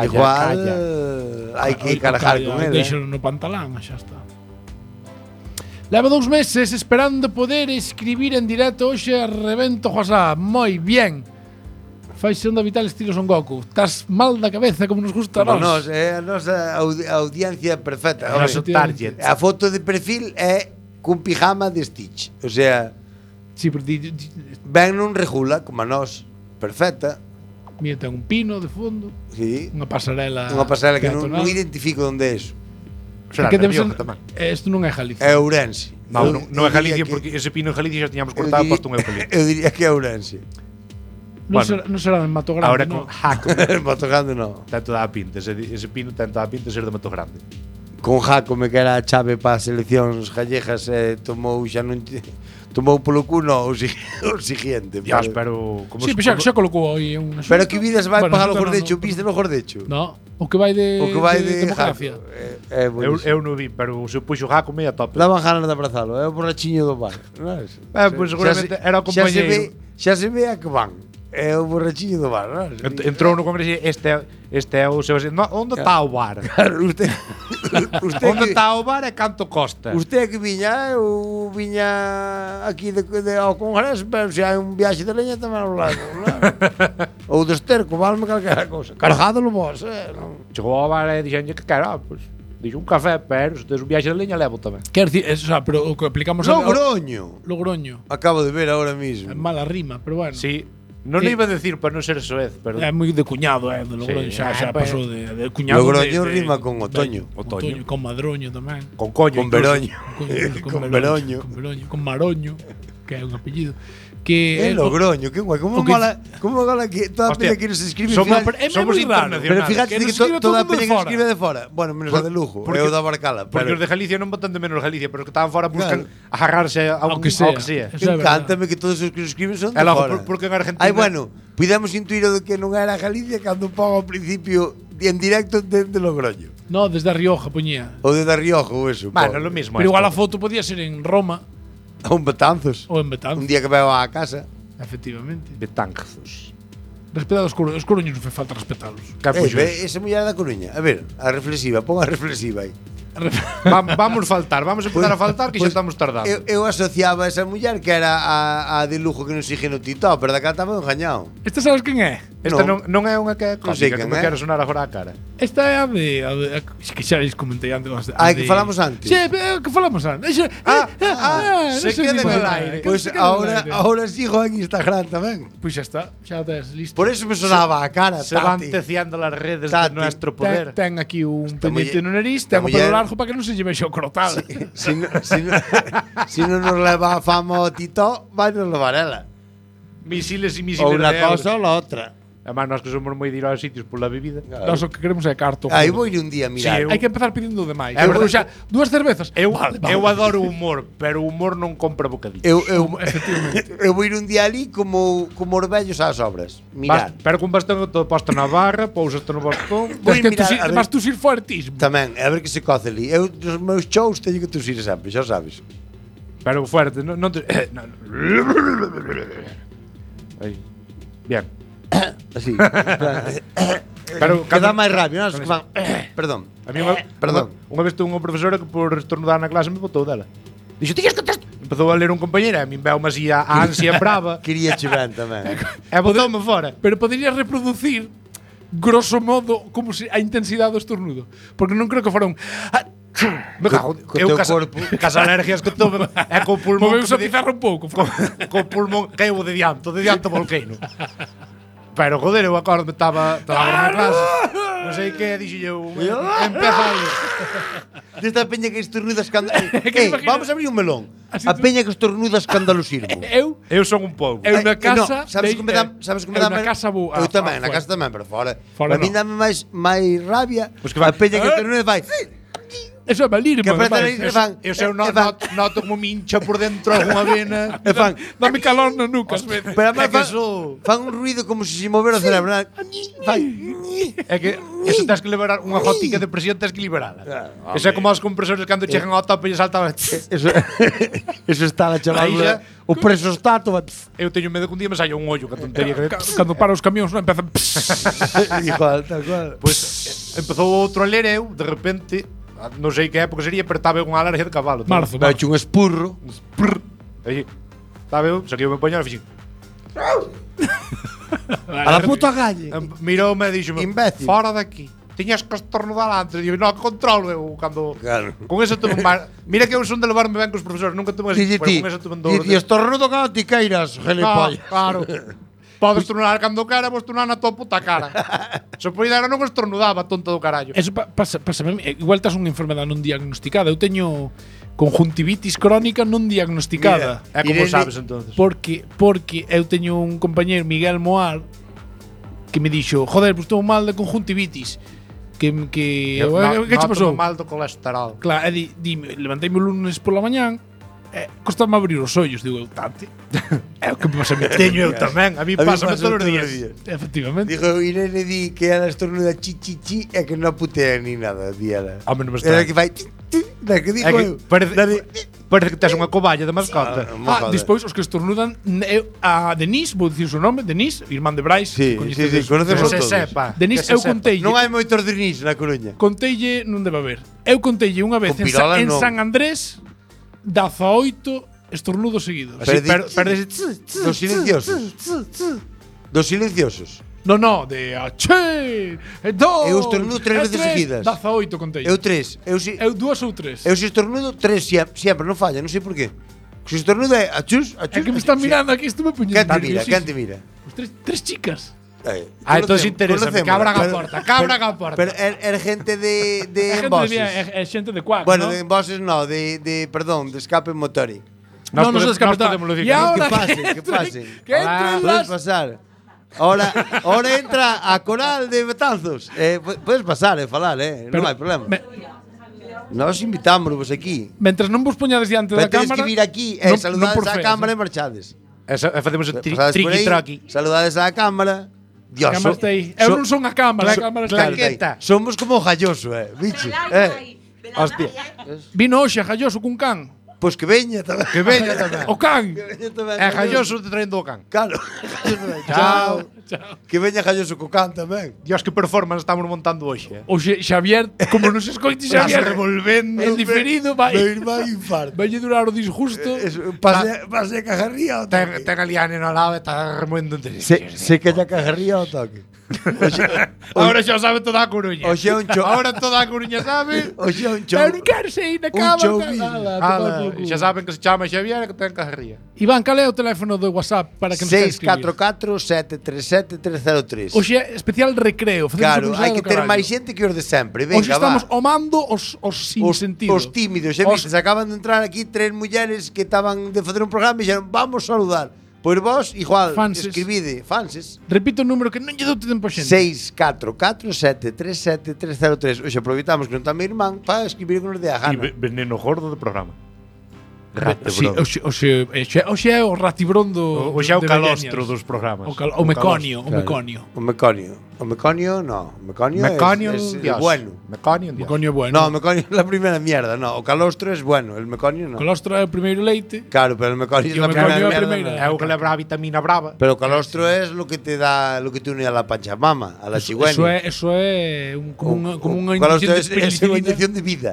[SPEAKER 7] igual hai que cargar con ele.
[SPEAKER 2] Deixalo no pantalán, xa está. Leva 2 meses esperando poder escribir en directo hoxe a revento WhatsApp. Moi bien. Faise onda vital estilo Son Goku. Estás mal da cabeza como nos gusta a nós.
[SPEAKER 7] A nosa audiencia perfecta.
[SPEAKER 6] O noso target.
[SPEAKER 7] A foto de perfil é cun pijama de Stitch. O sea,
[SPEAKER 2] sí, pero
[SPEAKER 7] ben non regula como a nós. Perfecta.
[SPEAKER 2] Mira, ten un pino de fondo.
[SPEAKER 7] Sí.
[SPEAKER 2] Unha pasarela
[SPEAKER 7] que non identifico onde é eso.
[SPEAKER 6] Será
[SPEAKER 2] que debe
[SPEAKER 6] Rioja
[SPEAKER 2] ser,
[SPEAKER 6] tamén.
[SPEAKER 2] Isto non é Galicia.
[SPEAKER 7] É Ourense.
[SPEAKER 6] Non é Galicia porque ese pino en Galicia xa tiñamos cortado e posto un eucalipto.
[SPEAKER 7] Eu diría que é Ourense.
[SPEAKER 2] Non será en Mato Grande.
[SPEAKER 6] Ahora con Jaco.
[SPEAKER 7] Mato Grande non.
[SPEAKER 6] Ten toda a pinta, ese pino ten toda a pinta de ser de Mato Grande.
[SPEAKER 7] Con Jacome que era a chave para as seleccións gallegas tomou xa non tomou polo cuno o siguiente.
[SPEAKER 6] Dios, pero
[SPEAKER 2] como sí, pero xa colocou aí unha.
[SPEAKER 7] Pero que vidas vai pagar o gordecho, viste no gordecho?
[SPEAKER 2] No, o que vai de democracia.
[SPEAKER 6] Eu non vi, pero se puxo Jacome a tope.
[SPEAKER 7] Daban ganas de abrazalo, é o borrachiño do bar.
[SPEAKER 6] Pois seguramente era o compañeiro.
[SPEAKER 7] Xa se ve a que van. É o borrachiño do bar, non?
[SPEAKER 6] Entrou no congreso e este é o Sebastián. Onde está o bar?
[SPEAKER 7] Claro, usted
[SPEAKER 6] onde está o bar e canto costa?
[SPEAKER 7] Usted que viña, eu viña aquí ao congreso, pero se hai un viaxe de leña tamén ao lado, non? Ou de esterco, valme calquera cousa. Cargadolo vos, non?
[SPEAKER 6] Chegou ao bar e dixenlle que quero, pois dixo un café, pero se tes un viaxe de leña levo tamén.
[SPEAKER 2] Quer dicir, o sea, pero o que aplicamos
[SPEAKER 7] Logroño. Acabo de ver ahora mismo.
[SPEAKER 2] É mala rima, pero bueno.
[SPEAKER 6] Sí. Non iba a decir para non ser soez, pero
[SPEAKER 2] é moi de cuñado, de Logroño, xa pasou de cuñado.
[SPEAKER 7] Logroño rima con otoño.
[SPEAKER 2] Otoño, con madroño tamén.
[SPEAKER 6] Con coño,
[SPEAKER 7] con veroño.
[SPEAKER 2] Con veroño. Con maroño, que é un apellido. Que
[SPEAKER 7] Logroño, que guai, como mola que toda a peña que nos escribe.
[SPEAKER 6] Somos internacionales.
[SPEAKER 7] Pero fíjate que toda a peña que nos escribe de fora. Bueno, menos a de Lugo, eu da Barcala.
[SPEAKER 6] Porque os de Galicia non botan de menos Galicia, pero os que estaban fora buscan agarrarse ao que sea.
[SPEAKER 7] Encántame que todos os que nos escriben son de fora.
[SPEAKER 6] Porque en Argentina...
[SPEAKER 7] Ai, bueno, pudemos intuir o de que non era Galicia cando pongo ao principio en directo desde Logroño.
[SPEAKER 2] No, desde a Rioja poñía.
[SPEAKER 7] Ou desde a Rioja ou eso.
[SPEAKER 6] Bueno, lo mismo.
[SPEAKER 2] Pero igual a foto podía ser en Roma.
[SPEAKER 7] Ou en Betanzos. Un día que veo á casa.
[SPEAKER 2] Efectivamente.
[SPEAKER 6] Betanzos.
[SPEAKER 2] Respetad os coruños, non fai falta respetalos.
[SPEAKER 7] Esa muller da Coruña. A ver, a reflexiva, pon a reflexiva aí.
[SPEAKER 6] Vamos empezar a faltar que xa estamos tardando.
[SPEAKER 7] Eu asociaba a esa muller que era a de Lugo que nos sigue no TikTok, pero daquela estaba engañado.
[SPEAKER 2] Esta sabes quen é?
[SPEAKER 6] Esta non é unha que é cómica, que me quero sonar agora a cara.
[SPEAKER 2] Esta é a de que xa les comentei antes.
[SPEAKER 7] Que falamos antes.
[SPEAKER 2] Sí, que falamos antes.
[SPEAKER 6] Se queda en el aire.
[SPEAKER 7] Pois ahora sigo en Instagram tamén.
[SPEAKER 2] Pois xa está, xa tes listo.
[SPEAKER 7] Por eso me sonaba a cara.
[SPEAKER 6] Se van teciando las redes de nuestro poder.
[SPEAKER 2] Ten aquí un pendiente no nariz, ten o pelo largo para que non se lle vexa o crotal.
[SPEAKER 7] Si non nos leva a fama o Tito, vai nos levar ela.
[SPEAKER 6] Misiles e misiles.
[SPEAKER 7] Ou unha cosa ou la outra.
[SPEAKER 6] Además, nós que somos moi de ir aos sitios pola bebida.
[SPEAKER 2] Nós o que queremos é carto.
[SPEAKER 7] Aí vou ir un día a mirar.
[SPEAKER 2] Hai que empezar pedindo demais. Xa, 2 cervezas.
[SPEAKER 6] Eu adoro o humor, pero o humor non compra bocadillos.
[SPEAKER 2] Efectivamente.
[SPEAKER 7] Eu vou ir un día ali como os vellos ás obras. Mirar.
[SPEAKER 6] Pero con bastón todo posto na barra, pousaste no bastón.
[SPEAKER 2] Vas tusir fuertísimo.
[SPEAKER 7] Tamén, a ver que se coce ali. Eu nos meus shows teño que tusir sempre, xa sabes.
[SPEAKER 6] Pero fuerte, non te... Aí. Bien.
[SPEAKER 7] Así.
[SPEAKER 6] Pero
[SPEAKER 7] queda máis rápido, non? Perdón.
[SPEAKER 6] A mí unha vez tuve unha profesora que por estornudar na clase me botou dela. Dixo, "Tías que tes..." Empezou a ler un compañeiro e a min veu-me así a ansia brava.
[SPEAKER 7] Quería chegar tamén.
[SPEAKER 6] E botou-me fora.
[SPEAKER 2] Pero poderías reproducir grosso modo como se a intensidade do estornudo, porque non creo que fora un
[SPEAKER 6] me cago, eu cas alergias que tome é co pulmón.
[SPEAKER 2] Moveuse a pizarra un pouco.
[SPEAKER 6] Co pulmón caeu de dianto volqueino. Pero joder, eu acordo estaba na clase. Non sei que dixo eu. Empeza aí.
[SPEAKER 7] Desta peña que estornuda vamos a abrir un melón. A peña que estornuda escandalosismo.
[SPEAKER 2] Eu
[SPEAKER 6] son un pouco.
[SPEAKER 2] Eu na casa,
[SPEAKER 7] sabes como me dá?
[SPEAKER 2] Na casa vou.
[SPEAKER 7] Eu tamén, na casa tamén, pero fora. A mí dame máis rabia. A peña que estornuda vai
[SPEAKER 2] Eso é malirmo.
[SPEAKER 7] Que apretan aí, e fan.
[SPEAKER 6] Eu sei, noto como me hincha por dentro algunha vena.
[SPEAKER 7] E fan.
[SPEAKER 2] Dame calor na nuca. ás veces.
[SPEAKER 7] Pero además
[SPEAKER 6] É que eso-
[SPEAKER 7] fan un ruido como se movera o cerebro. Fan.
[SPEAKER 6] É que eso tens que liberar unha gotica de presión, tens que liberala. Eso é como os compresores cando chegan ao tope e saltaban.
[SPEAKER 7] Eso está a chaval.
[SPEAKER 6] Aí xa-
[SPEAKER 7] O presostato.
[SPEAKER 6] Eu teño medo que un día me saia un ollo, que tontería que...
[SPEAKER 2] Cando para os camións non empezan.
[SPEAKER 7] Igual, tal cual.
[SPEAKER 6] Pois empezou outro a ler eu, de repente, non sei que época sería, pero estaba eu unha alergia de cabalo.
[SPEAKER 2] Marzo.
[SPEAKER 7] Vai un espurro.
[SPEAKER 6] Aí, estaba eu, saquei o meu pañal e fixen.
[SPEAKER 7] A la puta calle.
[SPEAKER 6] Miroume e dixome,
[SPEAKER 7] Imbécil.
[SPEAKER 6] fora daqui. Tiñas que estornudar antes. Digo, non, controlo eu cando...
[SPEAKER 7] Claro.
[SPEAKER 6] Con eso tuve máis... Mira que eu son de levarme ben cos profesores, nunca tuve...
[SPEAKER 7] Dille ti.
[SPEAKER 6] Con eso tuve dor.
[SPEAKER 7] Dille estornudo cando ti queiras, gilipollas.
[SPEAKER 6] Claro. Podes estornudar cando quera, vos estornudar na tua puta cara. Se poida era non estornudaba, tonto do carallo.
[SPEAKER 2] Eso pasa igual estás unha enfermedade non diagnosticada. Eu teño conjuntivitis crónica non diagnosticada.
[SPEAKER 6] É como
[SPEAKER 7] Irene-
[SPEAKER 6] sabes entonces.
[SPEAKER 2] Porque eu teño un compañeiro, Miguel Moar, que me dixo, joder, pues estou mal de conjuntivitis. Que que che pasou?
[SPEAKER 6] Mal do colesterol.
[SPEAKER 2] Claro, dime, levanteime o lunes pola mañán, costame abrir os ollos, digo, eu tante. É o que me pasa a mí.
[SPEAKER 6] Teño eu tamén, a mí pásame todos os días.
[SPEAKER 2] Efectivamente.
[SPEAKER 7] Dijo Irene di que ela estornuda chi chi chi e que non putea ni nada, di ela.
[SPEAKER 6] Home, non me
[SPEAKER 7] Era
[SPEAKER 6] está.
[SPEAKER 7] que fai chi, chi, da que digo
[SPEAKER 6] É que
[SPEAKER 7] eu.
[SPEAKER 6] parece que tes unha coballa de mascota.
[SPEAKER 2] Despois os que estornudan, a Denise, vou dicir o seu nome, Denise, irmán de Brais,
[SPEAKER 7] Sí,
[SPEAKER 2] coñecedes.
[SPEAKER 7] sí, conocemos
[SPEAKER 6] Que se
[SPEAKER 7] todos.
[SPEAKER 6] sepa.
[SPEAKER 2] Denise,
[SPEAKER 6] que se
[SPEAKER 2] eu
[SPEAKER 6] sepa.
[SPEAKER 2] conteille.
[SPEAKER 7] Non hai moitos Denis na Coruña.
[SPEAKER 2] Conteille, non debe haber. Eu conteille unha vez
[SPEAKER 7] Con
[SPEAKER 2] en,
[SPEAKER 7] pirolas
[SPEAKER 2] en
[SPEAKER 7] non.
[SPEAKER 2] San Andrés 18 estornudos seguidos.
[SPEAKER 7] Dos silenciosos. Dos silenciosos.
[SPEAKER 2] No, de ache, dos.
[SPEAKER 7] Eu estornudo 3 veces seguidas.
[SPEAKER 2] 18 conteille.
[SPEAKER 7] Eu 3.
[SPEAKER 2] Eu 2 ou 3.
[SPEAKER 7] Eu se estornudo 3 sempre, non falla, non sei por qué. Se estornudo é achus, achus.
[SPEAKER 2] É que me están mirando aquí, estuve puñendo.
[SPEAKER 7] Quen te mira, quen te mira?
[SPEAKER 2] Tres chicas.
[SPEAKER 6] Entonces interesa, cabra a porta, cabra a porta.
[SPEAKER 7] Pero era gente de
[SPEAKER 2] É
[SPEAKER 7] emboses.
[SPEAKER 2] xente de cuac,
[SPEAKER 7] Bueno,
[SPEAKER 2] ¿no?
[SPEAKER 7] de emboses no, perdón, de escape motori.
[SPEAKER 2] No se descapeta.
[SPEAKER 6] decir
[SPEAKER 2] Y ahora
[SPEAKER 7] Que pasen, que pasen.
[SPEAKER 2] que entren
[SPEAKER 7] Puedes
[SPEAKER 2] las...
[SPEAKER 7] pasar. Ahora entra a coral de Betanzos. Puedes pasar, falar, non hai problema. Nós invitámonos aquí.
[SPEAKER 2] Mentras non vos poñades diante
[SPEAKER 7] Pero
[SPEAKER 2] da
[SPEAKER 7] tedes
[SPEAKER 2] cámara...
[SPEAKER 7] que vir aquí e saludades á cámara e marchades.
[SPEAKER 6] Facemos o
[SPEAKER 7] Pasades por aí,
[SPEAKER 6] triqui-traqui.
[SPEAKER 7] saludades á cámara. Dios,
[SPEAKER 2] A cámara está aí. Eu non son a cámara, a cámara está aí.
[SPEAKER 6] claqueta.
[SPEAKER 7] Somos como Galloso, bicho.
[SPEAKER 6] Hostia.
[SPEAKER 2] Vino hoxe a Galloso cun can.
[SPEAKER 7] Pois que veña tamén.
[SPEAKER 6] Que veña tamén.
[SPEAKER 2] O can.
[SPEAKER 6] É Galloso te traendo o can.
[SPEAKER 7] Claro. Chao. Que veña Galloso co can tamén.
[SPEAKER 6] Dios, que performance estamos montando hoxe.
[SPEAKER 2] Oxe, Xavier, como non se escoite Xavier revolvendo en diferido, vai.
[SPEAKER 7] Meu irmán infarto.
[SPEAKER 2] Vai durar o disgusto.
[SPEAKER 7] Pase a cajarría ao toque.
[SPEAKER 6] Ten a liane no lado e está remoendo entre
[SPEAKER 7] Se que a cajarría ao toque.
[SPEAKER 6] Ahora xa o sabe toda a Coruña.
[SPEAKER 7] Oxe é un cho.
[SPEAKER 6] Ahora toda a Coruña sabe.
[SPEAKER 7] Oxe é un cho.
[SPEAKER 2] Eu non quero sair na cama.
[SPEAKER 7] showbiz.
[SPEAKER 6] Xa saben que se chama Xavier e que ten cajarría.
[SPEAKER 2] Iván, cal é o teléfono do WhatsApp para que nos queira escribir?
[SPEAKER 7] 644-737-303.
[SPEAKER 2] Hoxe é especial recreo.
[SPEAKER 7] Claro, hai que ter máis xente que os de sempre. Venga,
[SPEAKER 2] Hoxe estamos
[SPEAKER 7] va.
[SPEAKER 2] omando os sin sentido.
[SPEAKER 7] Os tímidos. Xa
[SPEAKER 2] Os-
[SPEAKER 7] viste, acaban de entrar aquí 3 mulleres que estaban de facer un programa e dixeron, vamos saludar. Pois vos, igual,
[SPEAKER 2] Fanses.
[SPEAKER 7] escribide, fanses.
[SPEAKER 2] Repito o número que non lle dou tempo a xente.
[SPEAKER 7] 644-737-303. Hoxe aproveitamos que non está meu irmán para escribir con os de a
[SPEAKER 6] E
[SPEAKER 7] gana.
[SPEAKER 6] veneno gordo do programa.
[SPEAKER 2] Sí, hoxe é o ratibrón do
[SPEAKER 6] Hoxe é o
[SPEAKER 2] de
[SPEAKER 6] calostro
[SPEAKER 2] Bellañas.
[SPEAKER 6] dos programas.
[SPEAKER 2] O meconio, o meconio.
[SPEAKER 7] O meconio. O meconio, no. O meconio,
[SPEAKER 6] Meconio,
[SPEAKER 7] es
[SPEAKER 6] Dios.
[SPEAKER 7] bueno.
[SPEAKER 6] Meconio,
[SPEAKER 2] O
[SPEAKER 6] Dios.
[SPEAKER 2] meconio é bueno.
[SPEAKER 7] No, o meconio es la primera mierda, no. O calostro es bueno, el meconio no.
[SPEAKER 2] O colostro é o primeiro leite.
[SPEAKER 7] Claro, pero el meconio es
[SPEAKER 2] Y o
[SPEAKER 7] la
[SPEAKER 2] meconio
[SPEAKER 7] primera
[SPEAKER 2] es la
[SPEAKER 7] mierda.
[SPEAKER 2] primera.
[SPEAKER 7] no.
[SPEAKER 6] É o que leva a vitamina brava.
[SPEAKER 7] Pero o calostro es lo que te da, lo que te une a la pachamama, a la chigüeña.
[SPEAKER 2] Eso é como unha
[SPEAKER 7] O calostro
[SPEAKER 2] inyección de
[SPEAKER 7] es unha
[SPEAKER 2] penicilina.
[SPEAKER 7] inyección de vida.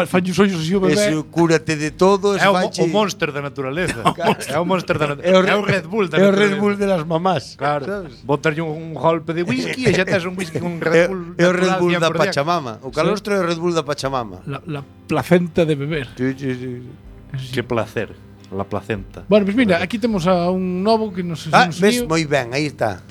[SPEAKER 2] Fai os ollos así o bebé.
[SPEAKER 7] Eso cúrate de todo,
[SPEAKER 6] É o monster da naturaleza. É o monster da naturaleza. É o Red Bull da
[SPEAKER 7] É o
[SPEAKER 6] naturaleza.
[SPEAKER 7] Red Bull de las mamás.
[SPEAKER 6] Claro.
[SPEAKER 7] sabes?
[SPEAKER 6] Botarlle un golpe de whisky e xa tes un whisky con Red Bull.
[SPEAKER 7] É o Red Bull da
[SPEAKER 6] natural 100%.
[SPEAKER 7] Pachamama. O calostro é o Red Bull da Pachamama.
[SPEAKER 2] La placenta de beber.
[SPEAKER 7] Sí, sí, sí.
[SPEAKER 6] Que placer. La placenta.
[SPEAKER 2] Bueno, pues mira, aquí temos a un novo que nos
[SPEAKER 7] ves,
[SPEAKER 2] seguiu.
[SPEAKER 7] moi ben, aí está.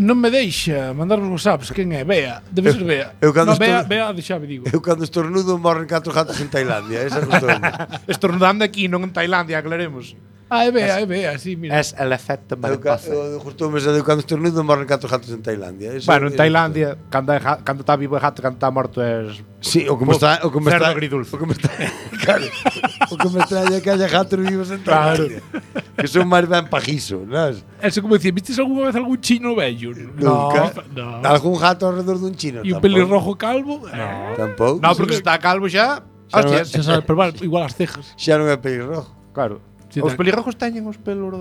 [SPEAKER 2] Non me deixa mandar os whatsapps. Quen é? Bea. Debe ser Bea.
[SPEAKER 7] Eu cando
[SPEAKER 2] No, Bea,
[SPEAKER 7] estou-
[SPEAKER 2] Bea de Xavi, digo.
[SPEAKER 7] Eu cando estornudo morren 4 gatos en Tailandia, esa costumbre.
[SPEAKER 6] Estornudando aquí, non en Tailandia, aclaremos.
[SPEAKER 2] así, mira.
[SPEAKER 8] Es el efecto mariposa.
[SPEAKER 7] Justo me de cando estornudo morren 4 gatos en Tailandia.
[SPEAKER 8] Bueno, en Tailandia, cando está vivo o gato, cando está morto es...
[SPEAKER 7] Sí, o que me está
[SPEAKER 8] cerdo agridulce.
[SPEAKER 7] O que me está claro. O que me extraña é que haya gatos vivos en Tailandia. Que son máis ben pajizo, ¿sabes?
[SPEAKER 2] Eso como decir, ¿viste alguna vez algún chino bello?
[SPEAKER 7] Nunca.
[SPEAKER 2] No.
[SPEAKER 7] Algún gato alrededor dun chino.
[SPEAKER 2] E un pelirrojo calvo?
[SPEAKER 7] Tampouco.
[SPEAKER 6] No, porque se está calvo xa.
[SPEAKER 7] Xa non é-
[SPEAKER 6] Hostias.
[SPEAKER 2] Se sabe, pero vale, igual as cejas.
[SPEAKER 7] Xa non é pelirrojo.
[SPEAKER 8] Claro.
[SPEAKER 2] Sí,
[SPEAKER 8] Os
[SPEAKER 2] tal.
[SPEAKER 8] pelirrojos teñen os pelos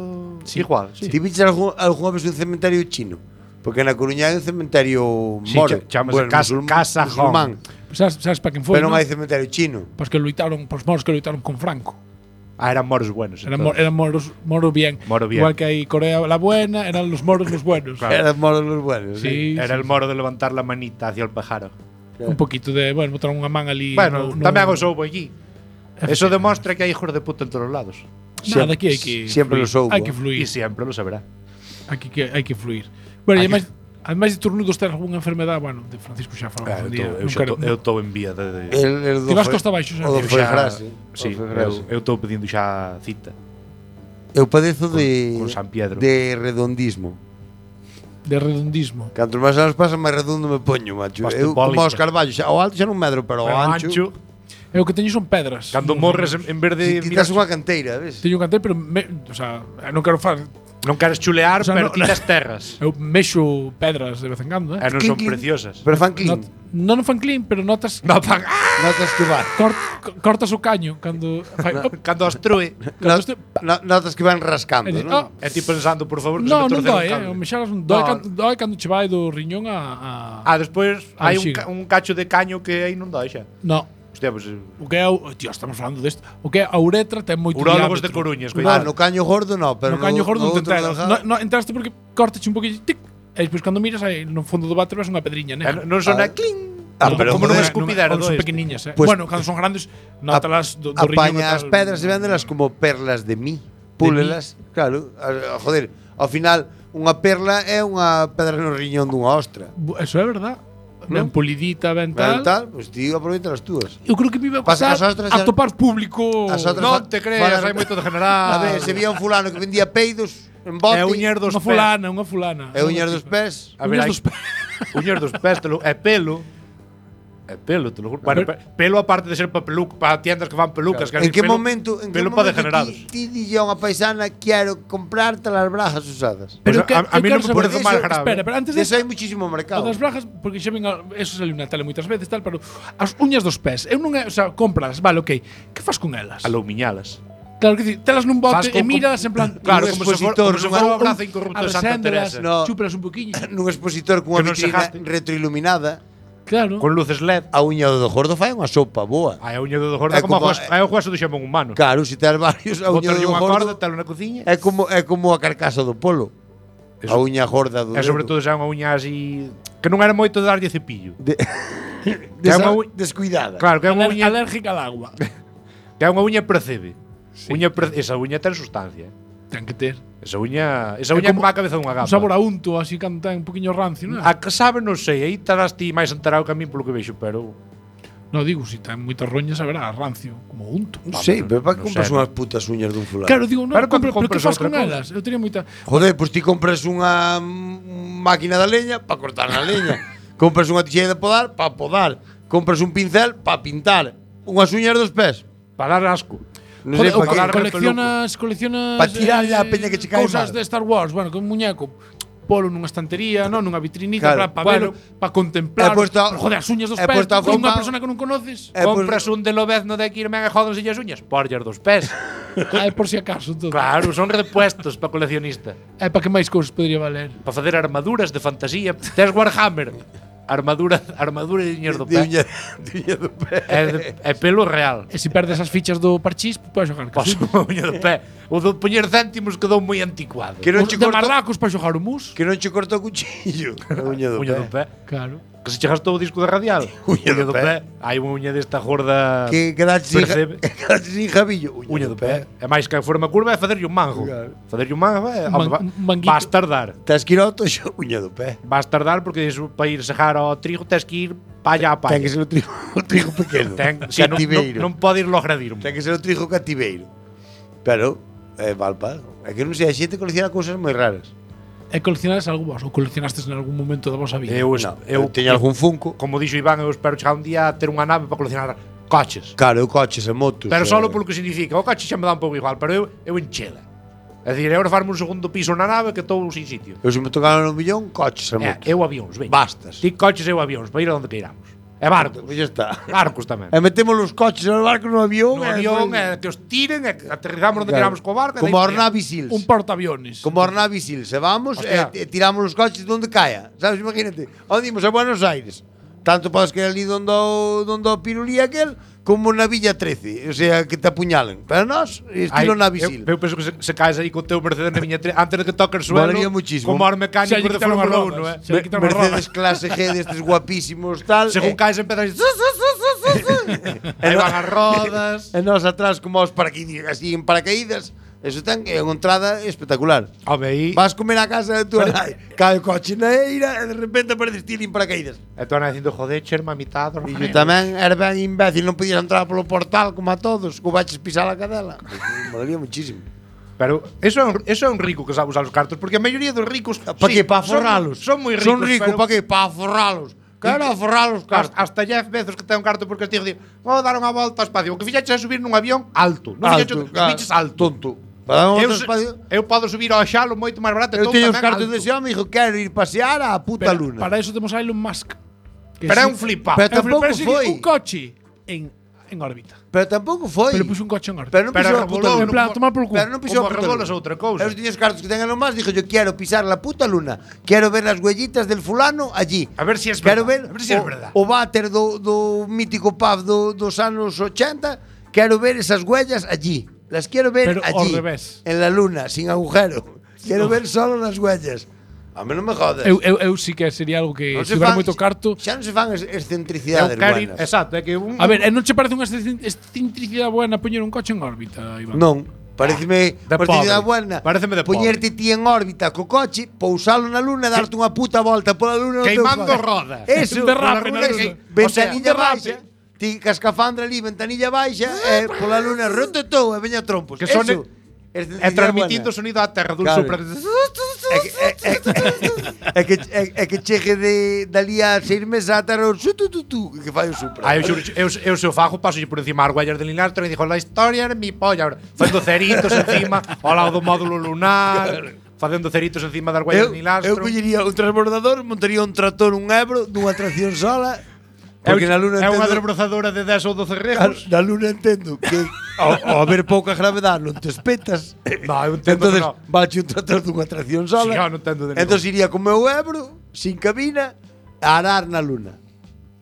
[SPEAKER 8] igual, sí.
[SPEAKER 7] Ti viches algunha vez un cementerio chino? Porque na Coruña hai un cementerio
[SPEAKER 8] Sí,
[SPEAKER 7] moro.
[SPEAKER 8] chámase Casa
[SPEAKER 7] musulmán.
[SPEAKER 2] Sabes para quen foi?
[SPEAKER 7] Pero non
[SPEAKER 2] ¿no?
[SPEAKER 7] hai cementerio chino.
[SPEAKER 2] Pues que loitaron, pos moros que loitaron con Franco.
[SPEAKER 8] Ah, eran moros buenos.
[SPEAKER 2] Eran
[SPEAKER 8] entonces.
[SPEAKER 2] moros bien.
[SPEAKER 8] Moro bien.
[SPEAKER 2] Igual que hay Corea la buena, eran los moros los buenos.
[SPEAKER 8] Claro.
[SPEAKER 7] Eran moros los buenos.
[SPEAKER 2] Sí,
[SPEAKER 8] Era
[SPEAKER 2] sí,
[SPEAKER 8] el moro de levantar la manita hacia el pájaro.
[SPEAKER 2] un poquito de, bueno, botaron unha man ali.
[SPEAKER 8] Bueno, tamén os houbo allí. Eso demostra que hai hijos de puta en todos los lados.
[SPEAKER 2] Nada, aquí hai que
[SPEAKER 7] Siempre
[SPEAKER 2] fluir.
[SPEAKER 7] los houbo.
[SPEAKER 2] Hai que
[SPEAKER 8] Y
[SPEAKER 2] fluir.
[SPEAKER 8] siempre lo sabrá.
[SPEAKER 2] Hai que fluir. Bueno, e ademais de turnudos ter algunha enfermedade, bueno, de Francisco xa falamos un día.
[SPEAKER 8] Eu estou en vía de...
[SPEAKER 7] El
[SPEAKER 2] Ti vas costa baixo, xa.
[SPEAKER 7] O do
[SPEAKER 8] Eu
[SPEAKER 7] foi
[SPEAKER 8] xa-
[SPEAKER 7] frase.
[SPEAKER 8] Sí, eu estou pedindo xa cita
[SPEAKER 7] Eu padezo de
[SPEAKER 8] con San Pedro.
[SPEAKER 7] de redondismo.
[SPEAKER 2] De redondismo.
[SPEAKER 7] Canto máis anos pasan, máis redondo me poño, macho. Eu como
[SPEAKER 8] Osteopólica.
[SPEAKER 7] os Carballo, xa, ao alto xa non medro, pero ao ancho.
[SPEAKER 2] E o que teño son pedras.
[SPEAKER 8] Cando morres en vez de
[SPEAKER 7] Ti quitas unha canteira, ves?
[SPEAKER 2] Teño un cantel, pero o sea, non quero falar.
[SPEAKER 8] non queres chulear,
[SPEAKER 2] O sea,
[SPEAKER 8] pero
[SPEAKER 2] no-
[SPEAKER 8] tiras terras.
[SPEAKER 2] Eu mexo pedras de vez en cando,
[SPEAKER 8] E non son
[SPEAKER 7] Clink, clink.
[SPEAKER 8] preciosas.
[SPEAKER 7] Pero fan clean.
[SPEAKER 2] Non fan clean, pero notas
[SPEAKER 8] No fan.
[SPEAKER 7] Notas que van.
[SPEAKER 2] cortas o caño cando fai,
[SPEAKER 8] Cando obstrue.
[SPEAKER 7] Notas que van rascando,
[SPEAKER 2] E di-
[SPEAKER 7] non?
[SPEAKER 8] E ti pensando, por favor, que
[SPEAKER 2] No,
[SPEAKER 8] se me
[SPEAKER 2] non
[SPEAKER 8] torceu
[SPEAKER 2] doi,
[SPEAKER 8] un cable.
[SPEAKER 2] o mexaras non doi,
[SPEAKER 8] No.
[SPEAKER 2] doi cando che vai do riñón a
[SPEAKER 8] Despois
[SPEAKER 2] Ah,
[SPEAKER 8] hai
[SPEAKER 2] sí.
[SPEAKER 8] un cacho de caño que aí non doi xa.
[SPEAKER 2] No,
[SPEAKER 8] Hostia, pues
[SPEAKER 2] o que é tío, estamos falando desto. O que é a uretra ten moito
[SPEAKER 8] urólogos de
[SPEAKER 2] diámetro.
[SPEAKER 8] Coruñas,
[SPEAKER 7] Ah,
[SPEAKER 8] coidado.
[SPEAKER 7] no caño gordo no, pero
[SPEAKER 2] No caño gordo non te
[SPEAKER 7] outro
[SPEAKER 2] enteras.
[SPEAKER 7] delgado.
[SPEAKER 2] No entraste porque cortache un poquillo, tic, e despois cando miras aí no fondo do váter ves unha pedriña negra.
[SPEAKER 8] Non son a cling.
[SPEAKER 7] Ah, pero
[SPEAKER 8] como non
[SPEAKER 7] joder,
[SPEAKER 8] escupidero
[SPEAKER 2] son
[SPEAKER 8] do
[SPEAKER 2] pequeniñas,
[SPEAKER 7] Pues-
[SPEAKER 2] bueno, cando son grandes, nótalas do riñón.
[SPEAKER 7] Apaña as pedras e véndelas como perlas de mí. Púlelas, claro. Joder, ao final unha perla é unha pedra no riñón dunha ostra.
[SPEAKER 2] Eso é verdad. Ben
[SPEAKER 7] Non?
[SPEAKER 2] pulidita, ben
[SPEAKER 7] Tal,
[SPEAKER 2] tal.
[SPEAKER 7] pois ti aproveita as túas.
[SPEAKER 2] Eu creo que me iba a
[SPEAKER 7] Pasa
[SPEAKER 2] pasar
[SPEAKER 7] que as outras
[SPEAKER 2] a
[SPEAKER 7] xa-
[SPEAKER 2] topar público.
[SPEAKER 7] As outras
[SPEAKER 8] Non
[SPEAKER 7] fa-
[SPEAKER 8] te creas,
[SPEAKER 7] falan-
[SPEAKER 8] hai moito de general.
[SPEAKER 7] A ver, se vía un fulano que vendía peidos en bote.
[SPEAKER 8] É uñer dos
[SPEAKER 2] Unha
[SPEAKER 8] pés.
[SPEAKER 2] fulana.
[SPEAKER 7] E uñas dos pés.
[SPEAKER 8] A ver,
[SPEAKER 2] Uñas
[SPEAKER 8] hai
[SPEAKER 2] dos pés.
[SPEAKER 8] uñas dos pés, é pelo. É pelo, te lo juro. Bueno, pelo aparte de ser para tiendas que fan pelucas,
[SPEAKER 7] En que momento,
[SPEAKER 8] pelo para degenerados.
[SPEAKER 7] ti dille a unha paisana quero comprarte las brajas usadas?
[SPEAKER 8] Pues
[SPEAKER 2] que,
[SPEAKER 8] a mí
[SPEAKER 2] eu
[SPEAKER 8] non
[SPEAKER 2] quero
[SPEAKER 8] me parece
[SPEAKER 2] saber-
[SPEAKER 8] máis grave.
[SPEAKER 2] Espera, pero antes de
[SPEAKER 7] Eso hai muchísimo
[SPEAKER 2] O
[SPEAKER 7] mercado.
[SPEAKER 2] das brajas, porque xa ven eso saliu na tele moitas veces tal, pero as uñas dos pés, eu non é, o sea, cómpralas, vale, ok. Que fas con elas?
[SPEAKER 8] Aloumiñalas.
[SPEAKER 2] Claro que dicir, telas nun bote
[SPEAKER 8] Fas
[SPEAKER 2] e
[SPEAKER 8] con-
[SPEAKER 2] míralas en plan,
[SPEAKER 8] Claro,
[SPEAKER 7] un
[SPEAKER 8] como se
[SPEAKER 7] expositor,
[SPEAKER 8] fora o brazo incorrupto de Santa
[SPEAKER 2] arreséndelas,
[SPEAKER 8] Teresa.
[SPEAKER 7] No.
[SPEAKER 2] chúpelas un poquinho.
[SPEAKER 7] Nun expositor cunha
[SPEAKER 8] Que non se
[SPEAKER 7] vitrina
[SPEAKER 8] gaste.
[SPEAKER 7] retroiluminada,
[SPEAKER 2] Claro.
[SPEAKER 8] Con luces LED.
[SPEAKER 7] a uña do gordo fai unha sopa boa.
[SPEAKER 8] Ai, a uña do gordo
[SPEAKER 7] É
[SPEAKER 8] como
[SPEAKER 7] como-
[SPEAKER 8] é o hueso do xamón humano.
[SPEAKER 7] Claro, se tes varios, a uña
[SPEAKER 8] Botarlle
[SPEAKER 7] do
[SPEAKER 8] unha corda,
[SPEAKER 7] gordo
[SPEAKER 8] talo na cociña.
[SPEAKER 7] é como a carcasa do polo. A
[SPEAKER 8] Eso-
[SPEAKER 7] uña gorda do
[SPEAKER 8] E sobre
[SPEAKER 7] dedo.
[SPEAKER 8] todo xa unha uña así que non era moito de darlle cepillo.
[SPEAKER 7] De
[SPEAKER 8] é
[SPEAKER 7] esa
[SPEAKER 8] unha
[SPEAKER 7] descuidada.
[SPEAKER 8] Claro, que é unha uña
[SPEAKER 2] Alérgica al agua.
[SPEAKER 8] que é unha uña percebe. Esa uña ten sustancia.
[SPEAKER 2] Ten que ter.
[SPEAKER 8] Esa uña é
[SPEAKER 2] como
[SPEAKER 8] como a cabeza dunha gamba.
[SPEAKER 2] Un sabor a unto, así cando ten un poquinho rancio, non?
[SPEAKER 8] A que sabe non sei, aí estarás ti máis enterado que a mí polo que vexo, pero
[SPEAKER 2] No digo, si ten moitas roñas, saberá rancio, como unto.
[SPEAKER 7] Non sei, pero para que
[SPEAKER 8] non
[SPEAKER 7] compras
[SPEAKER 8] sei.
[SPEAKER 7] unhas putas uñas dun fulano?
[SPEAKER 2] Claro, digo, no,
[SPEAKER 8] Pero cando
[SPEAKER 2] pero que
[SPEAKER 8] compras
[SPEAKER 2] fas
[SPEAKER 8] outra
[SPEAKER 2] con
[SPEAKER 8] cousa?
[SPEAKER 2] elas? Eu teria moita
[SPEAKER 7] Joder, pois ti compras unha máquina da leña para cortar a leña. Compras unha tixeira de podar para podar. Compras un pincel para pintar. Unhas uñas dos pés.
[SPEAKER 8] para dar asco.
[SPEAKER 7] Non
[SPEAKER 2] Joder,
[SPEAKER 7] sei
[SPEAKER 2] o
[SPEAKER 7] para que.
[SPEAKER 2] coleccionas
[SPEAKER 7] Pa tirarlle a peña que che cae
[SPEAKER 2] cousas
[SPEAKER 7] mal.
[SPEAKER 2] de Star Wars, bueno, con un muñeco polo nunha estantería, non, nunha vitrinita
[SPEAKER 7] Claro,
[SPEAKER 2] para velo, para contemplar.
[SPEAKER 7] He puesto-
[SPEAKER 2] Pero, joder, as uñas dos
[SPEAKER 7] he
[SPEAKER 2] pés,
[SPEAKER 7] puesto a
[SPEAKER 2] con unha
[SPEAKER 7] fumar-
[SPEAKER 2] persona que non conoces.
[SPEAKER 8] Compras un de lobezno de aquí e me jodanse as uñas, porllas dos pés.
[SPEAKER 2] Ai, por si acaso todo.
[SPEAKER 8] Claro, son repuestos para coleccionista.
[SPEAKER 2] Para que máis cousas podría valer?
[SPEAKER 8] Para facer armaduras de fantasía. Tes Warhammer. Armadura de uñas do
[SPEAKER 7] De
[SPEAKER 8] pé.
[SPEAKER 7] de uña do pé.
[SPEAKER 8] É pelo real.
[SPEAKER 2] E se perdes as fichas do parchís, podes xogar.
[SPEAKER 8] Paso a uña do pé. O do poñer céntimos quedou moi anticuado.
[SPEAKER 7] Que non che
[SPEAKER 2] de
[SPEAKER 7] corta,
[SPEAKER 2] marracos para xogar o mus.
[SPEAKER 7] que non che corta o cuchillo. A uña do
[SPEAKER 8] Uña do
[SPEAKER 7] pé.
[SPEAKER 8] pé.
[SPEAKER 2] Claro.
[SPEAKER 8] Que se chegas todo o disco de radial.
[SPEAKER 7] Uña do pé.
[SPEAKER 8] Hai unha uña desta gorda.
[SPEAKER 7] Que quedaste
[SPEAKER 8] Percebe.
[SPEAKER 7] sin jabillo.
[SPEAKER 8] Uña do pé. E máis que a forma curva é facerlle un mango.
[SPEAKER 7] Claro.
[SPEAKER 8] Facerlle un mango é.
[SPEAKER 2] Un manguito.
[SPEAKER 8] Vas tardar.
[SPEAKER 7] Tes que ir ao toxo, uña do pé.
[SPEAKER 8] Vas tardar porque iso para ir sejar ao trigo tes que ir palla a palla.
[SPEAKER 7] Ten que ser o trigo pequeno.
[SPEAKER 8] Si,
[SPEAKER 7] Cativeiro.
[SPEAKER 8] non pode ir logradir.
[SPEAKER 7] Ten que ser o trigo cativeiro. Pero vale para algo. É que non sei, a xente colecciona cousas moi raras.
[SPEAKER 2] E coleccionades algo vos? Ou coleccionastes en algún momento da vosa vida?
[SPEAKER 6] Eu
[SPEAKER 7] teño algún Funko.
[SPEAKER 6] Como dixo Iván, eu espero chegar un día a ter unha nave para coleccionar coches.
[SPEAKER 7] Claro, eu coches e motos.
[SPEAKER 6] Pero solo polo que significa. O coche xa me dá un pouco igual, pero eu enchela. É dicir, agora farme un segundo piso na nave que estou sin sitio.
[SPEAKER 7] Eu se me tocaron un millón, coches e motos.
[SPEAKER 6] Eu avións, veña.
[SPEAKER 7] Bastas.
[SPEAKER 6] Ti coches e eu avións, para ir a onde queiramos. E barcos.
[SPEAKER 7] Pois ya está.
[SPEAKER 6] Barcos tamén.
[SPEAKER 7] E metemos os coches e os barcos no avión.
[SPEAKER 6] No avión, que os tiren, e que aterrizamos onde queramos co barco.
[SPEAKER 7] Como os Navy Seals.
[SPEAKER 2] Un portaaviones.
[SPEAKER 7] Como os Navy Seals. Se vamos e tiramos os coches donde caia. Sabes, imagínate. Onde imos a Buenos Aires. Tanto podes que ali donde o pirulí aquel, como na Villa 13. O sea, que te apuñalen. Pero nós, estilo Navy Seal.
[SPEAKER 6] Eu penso que se caes aí con teu Mercedes na Viña 13, antes de que toque o suelo,
[SPEAKER 7] Valería muchísimo.
[SPEAKER 6] como os mecánicos de Fórmula 1,
[SPEAKER 7] Mercedes clase G destes guapísimos, tal.
[SPEAKER 6] Según caes empezas aí van as rodas.
[SPEAKER 7] E nós atrás como os paracaídas, así en paracaídas. Eso ten unha entrada espectacular.
[SPEAKER 6] Home,
[SPEAKER 7] Vas comer a casa de tu nai, cae o coche na eira e de repente apareces ti en paracaídas.
[SPEAKER 6] E tu ana dicindo, joder, cherma a mitad.
[SPEAKER 7] E eu tamén era ben imbécil, non podías entrar polo portal como a todos, que baches pisar a cadela. Molaría muchísimo.
[SPEAKER 6] Pero eso é un rico que sabe usar os cartos, porque a maioría dos ricos
[SPEAKER 7] Para que? Para forralos.
[SPEAKER 6] Son moi ricos.
[SPEAKER 7] Son ricos, para que? Para forralos. Quero forrar os cartos.
[SPEAKER 6] Hasta Jeff Bezos que ten un carto porque digo, vou dar unha volta ao espacio. O que fixaches é subir nun avión alto. Non fixaches alto.
[SPEAKER 7] Tonto.
[SPEAKER 6] Eu podo subir ao xalo moito máis barato.
[SPEAKER 7] Eu teño os cartos dese home e dixo, quero ir pasear á puta luna.
[SPEAKER 2] Para eso temos a Elon Musk.
[SPEAKER 6] Pero é un flipado.
[SPEAKER 7] Pero tampouco foi.
[SPEAKER 2] Un coche en órbita.
[SPEAKER 7] Pero tampouco foi.
[SPEAKER 2] Pero puxo un coche en órbita.
[SPEAKER 7] Pero non pisou a puta luna.
[SPEAKER 2] En plan, tomar por culo.
[SPEAKER 7] Pero non pisou a puta luna.
[SPEAKER 6] outra cousa.
[SPEAKER 7] Eu tiño os cartos que ten Elon Musk, dixo, yo quiero pisar la puta luna. Quiero ver las huellitas del fulano allí.
[SPEAKER 6] A ver si es
[SPEAKER 7] quero
[SPEAKER 6] verdad. A ver si es verdad.
[SPEAKER 7] O váter do mítico pub dos anos 80. Quero ver esas huellas allí. Las quiero ver
[SPEAKER 2] pero
[SPEAKER 7] allí.
[SPEAKER 2] Al revés.
[SPEAKER 7] En la luna, sin agujero. Quiero ver solo las huellas. A mí non me jodes.
[SPEAKER 2] Eu sí que sería algo que se tivera moito carto.
[SPEAKER 7] Xa non se fan excentricidades buenas.
[SPEAKER 6] Exacto, é que
[SPEAKER 2] A ver, non che parece unha excentricidade buena poñer un coche en órbita, Iván?
[SPEAKER 7] Non. Pareceme excentricidade buena.
[SPEAKER 6] Pareceme de pobre.
[SPEAKER 7] Poñerte ti en órbita co coche, pousalo na luna e darte unha puta volta pola luna.
[SPEAKER 6] Queimando rodas.
[SPEAKER 7] Eso,
[SPEAKER 2] derrape na luna.
[SPEAKER 7] Ventanilla baixa. Ti cascafandra ali, ventanilla baixa, e pola luna rototou e veña trompos.
[SPEAKER 6] Que son e transmitindo o sonido á terra dun sopra.
[SPEAKER 7] É que chegue dali a 6 meses á terra que fai o supra.
[SPEAKER 6] Eu se o fajo paso por encima as huellas de Linastro e dixo, la historia era mi polla. Facendo ceritos encima ao lado do módulo lunar. Facendo ceritos encima das huellas de Linastro.
[SPEAKER 7] Eu collería un transbordador, montaría un tractor, un Ebro, dunha tracción sola. Porque na luna
[SPEAKER 6] é unha desbrozadora de 10 ou 12 regos.
[SPEAKER 7] Na luna entendo que ao haber pouca gravedade non te espetas.
[SPEAKER 6] No, eu entendo.
[SPEAKER 7] Entonces, bache un trator dunha tracción sola.
[SPEAKER 6] Sí, non entendo de
[SPEAKER 7] Entonces iría co meu Ebro, sin cabina, a arar na luna.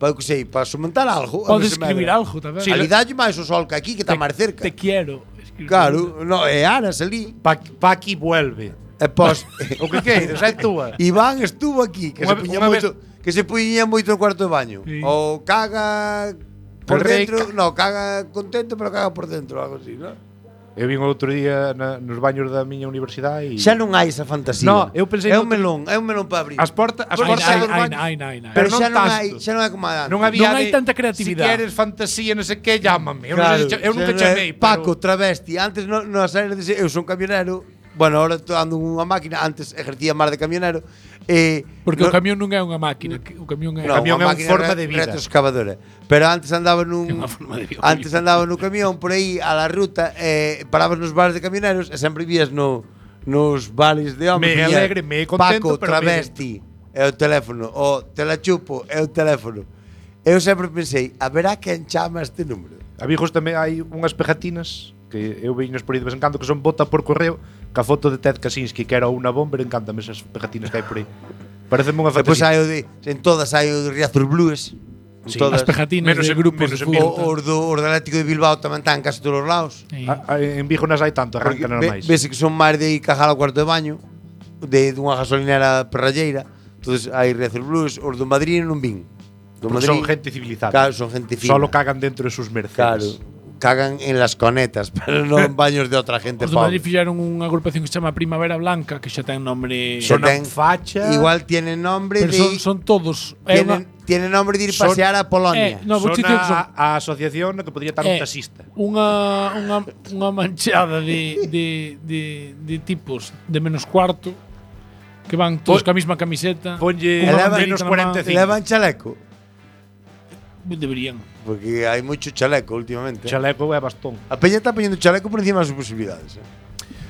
[SPEAKER 7] Para que sei, para somentar algo.
[SPEAKER 2] Podes escribir algo tamén.
[SPEAKER 7] Sí, ali dalle máis o sol que aquí, que está máis cerca.
[SPEAKER 2] Te quiero.
[SPEAKER 7] Claro, no, e aras ali.
[SPEAKER 6] Pa aquí vuelve.
[SPEAKER 7] E pos
[SPEAKER 6] o que queiras, é túa.
[SPEAKER 7] Iván estuvo aquí, que se puña moito, que se puñía moito no cuarto de baño. Sí. O caga por dentro, no, caga contento, pero caga por dentro, algo así, ¿no?
[SPEAKER 6] Eu vin outro día nos baños da miña universidade e
[SPEAKER 7] xa non hai esa fantasía.
[SPEAKER 6] No, eu pensei
[SPEAKER 7] é un melón para abrir.
[SPEAKER 6] As portas
[SPEAKER 7] dos baños. Pero xa non hai como antes.
[SPEAKER 6] Non
[SPEAKER 2] hai tanta creatividade.
[SPEAKER 6] Si queres fantasía, non sei que, llámame. Eu nunca chamei,
[SPEAKER 7] Paco, travesti. Antes nas áreas de eu son camionero. Bueno, ahora estou ando unha máquina, antes ejercía máis de camionero.
[SPEAKER 2] Porque o camión non é unha máquina, o camión é
[SPEAKER 6] unha forma de vida.
[SPEAKER 7] Retroexcavadora. Pero antes andaba no camión por aí a la ruta, parabas nos bares de camioneros e sempre vías nos bares de homes.
[SPEAKER 6] Me alegre, me contento,
[SPEAKER 7] Paco, travesti, é o teléfono, o te la chupo, é o teléfono. Eu sempre pensei, haberá quen chama este número.
[SPEAKER 6] A Vigos tamén hai unhas pegatinas que eu veño por aí de vez en cando que son bota por correo ca foto de Ted Kaczynski que era unha bomber, encántame esas pegatinas que hai por aí. Pareceme unha fantasía.
[SPEAKER 7] Depois hai o de, en todas hai o de Riazor Blues.
[SPEAKER 2] Sí, todas, as pegatinas de grupos de
[SPEAKER 7] fútbol. Os do Atlético de Bilbao tamén están casi todos os lados.
[SPEAKER 6] Sí. En Vigo nas hai tanto, arrancan máis.
[SPEAKER 7] Vese que son máis de cajar ao cuarto de baño, de dunha gasolinera perralleira. Entonces hai Riazor Blues, os do Madrid non vin.
[SPEAKER 6] Madrid, son gente civilizada.
[SPEAKER 7] Claro, son gente fina.
[SPEAKER 6] Solo cagan dentro de sus Mercedes.
[SPEAKER 7] Claro. cagan en las conetas, pero non en baños de outra gente
[SPEAKER 2] Os de Madrid
[SPEAKER 7] pobre.
[SPEAKER 2] fixeron unha agrupación que se chama Primavera Blanca, que xa ten nombre.
[SPEAKER 7] Xa ten-
[SPEAKER 8] facha.
[SPEAKER 7] Igual tienen nombre
[SPEAKER 2] Pero
[SPEAKER 7] de
[SPEAKER 2] son todos. É unha,
[SPEAKER 7] tienen nombre de ir
[SPEAKER 8] Son-
[SPEAKER 7] pasear a Polonia.
[SPEAKER 2] no, vou
[SPEAKER 8] Son
[SPEAKER 2] dicir que son
[SPEAKER 8] a asociación na que podría estar un taxista.
[SPEAKER 2] unha manchada de tipos de menos cuarto que van todos ca mesma camiseta.
[SPEAKER 8] Ponlle
[SPEAKER 2] cunha
[SPEAKER 7] Elevan-
[SPEAKER 2] banderita
[SPEAKER 8] menos
[SPEAKER 2] na man.
[SPEAKER 8] 45.
[SPEAKER 7] Levan chaleco,
[SPEAKER 2] Deberían.
[SPEAKER 7] porque hai moito chaleco últimamente.
[SPEAKER 8] Chaleco é bastón.
[SPEAKER 7] A peña está poñendo chaleco por encima das súas posibilidades.